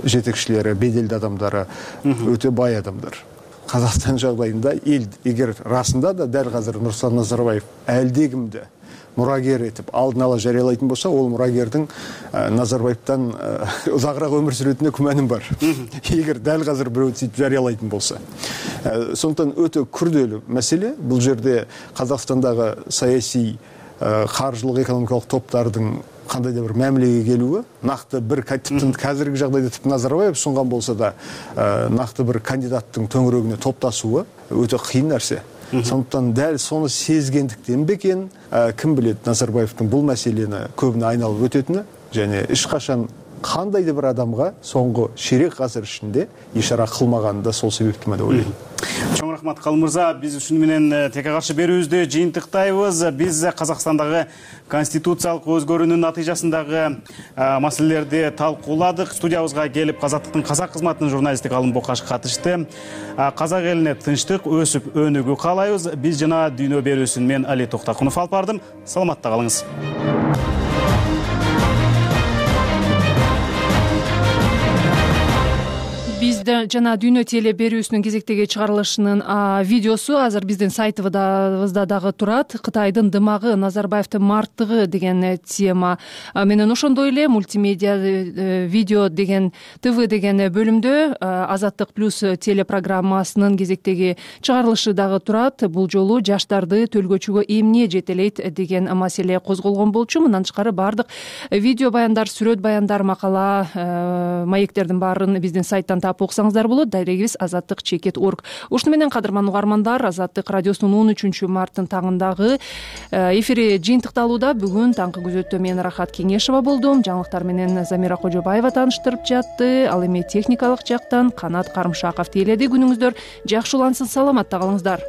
жетекчилери, беделдүү адамдары, өтө бай адамдар. Казакстан жагдайында эл эгер расында да дәл азыр Нурсултан Назарбаев әлдегимди мурагер этип алдын ала жарыялайтын болса, ол мурагердин Назарбаевтан узагыраак өмүр сүрөтүнө күмөнүм бар. Эгер дәл азыр бирөө сөйтүп жарыялайтын болса. Сондықтан өтө күрделүү маселе. Бул жерде Казакстандагы саясий, каржылык, экономикалык топтардын кандайдыр бир мамилеге келүүгө, накты бир типтен азыркы жагдайда типти Назарбаев сунган болсо да накты бир кандидаттын төңөрөгүнө топташууга өтө кыйын нерсе. Сондуктан дәл соны сезгендиктен бекен, ким билет, Назарбаевдин бул маселени көбүнө айналып өтөтүнү және эч качан кандайдыр бир адамга соңку ширек азыр ичинде ишара кылмаганын да сол себептен деп ойлойм. Чоң рахмат Калым мырза, биз ушуну менен текке каршы берүүбүздү жыйынтыктайбыз. Биз Казакстандагы конституциялык өзгөрүүнүн натыйжасындагы маселелерди талкууладык. Студиябызга келип Азаттыктын казак кызматынын журналисти Калым Бокаш катышты. Казак элине тынчтык, өсүп өнүгүү каалайбыз. Биз жана дүйнө берүүсүн мен Али Токтакунов алып бардым. Саламатта калыңыз. Бизде жана дүйнө теле берүүсүнүн кезектеги чыгарылышынын видеосу азыр биздин сайтыбызда дагы турат. Кытайдын дымагы, Назарбаевдин марттыгы деген тема менен ошондой эле мультимедиа видео деген ТВ деген бөлүмдө Азаттык плюс телепрограммасынын кезектеги чыгарылышы дагы турат. Бул жолу жаштарды төлгөчүгө эмне жетелейт деген маселе козголгон болчу. Мындан тышкары бардык видео баяндар, сүрөт баяндар, макала, маектердин баарын биздин сайттан окусаңыздар болот. Дарегибиз azattik.org. Ушуну менен кадырман угармандар, Азаттык радиосунун 13 марттын таңындагы эфири жыйынтыкталууда. Бүгүн таңкы күзөттө мен Рахат Кеңешова болдум. Жаңылыктар менен Замира Кожобаева тааныштырып жатты. Ал эми техникалык жактан Канат Карымшаков тейледи. Күнүңүздөр жакшы улансын, саламатта калыңыздар.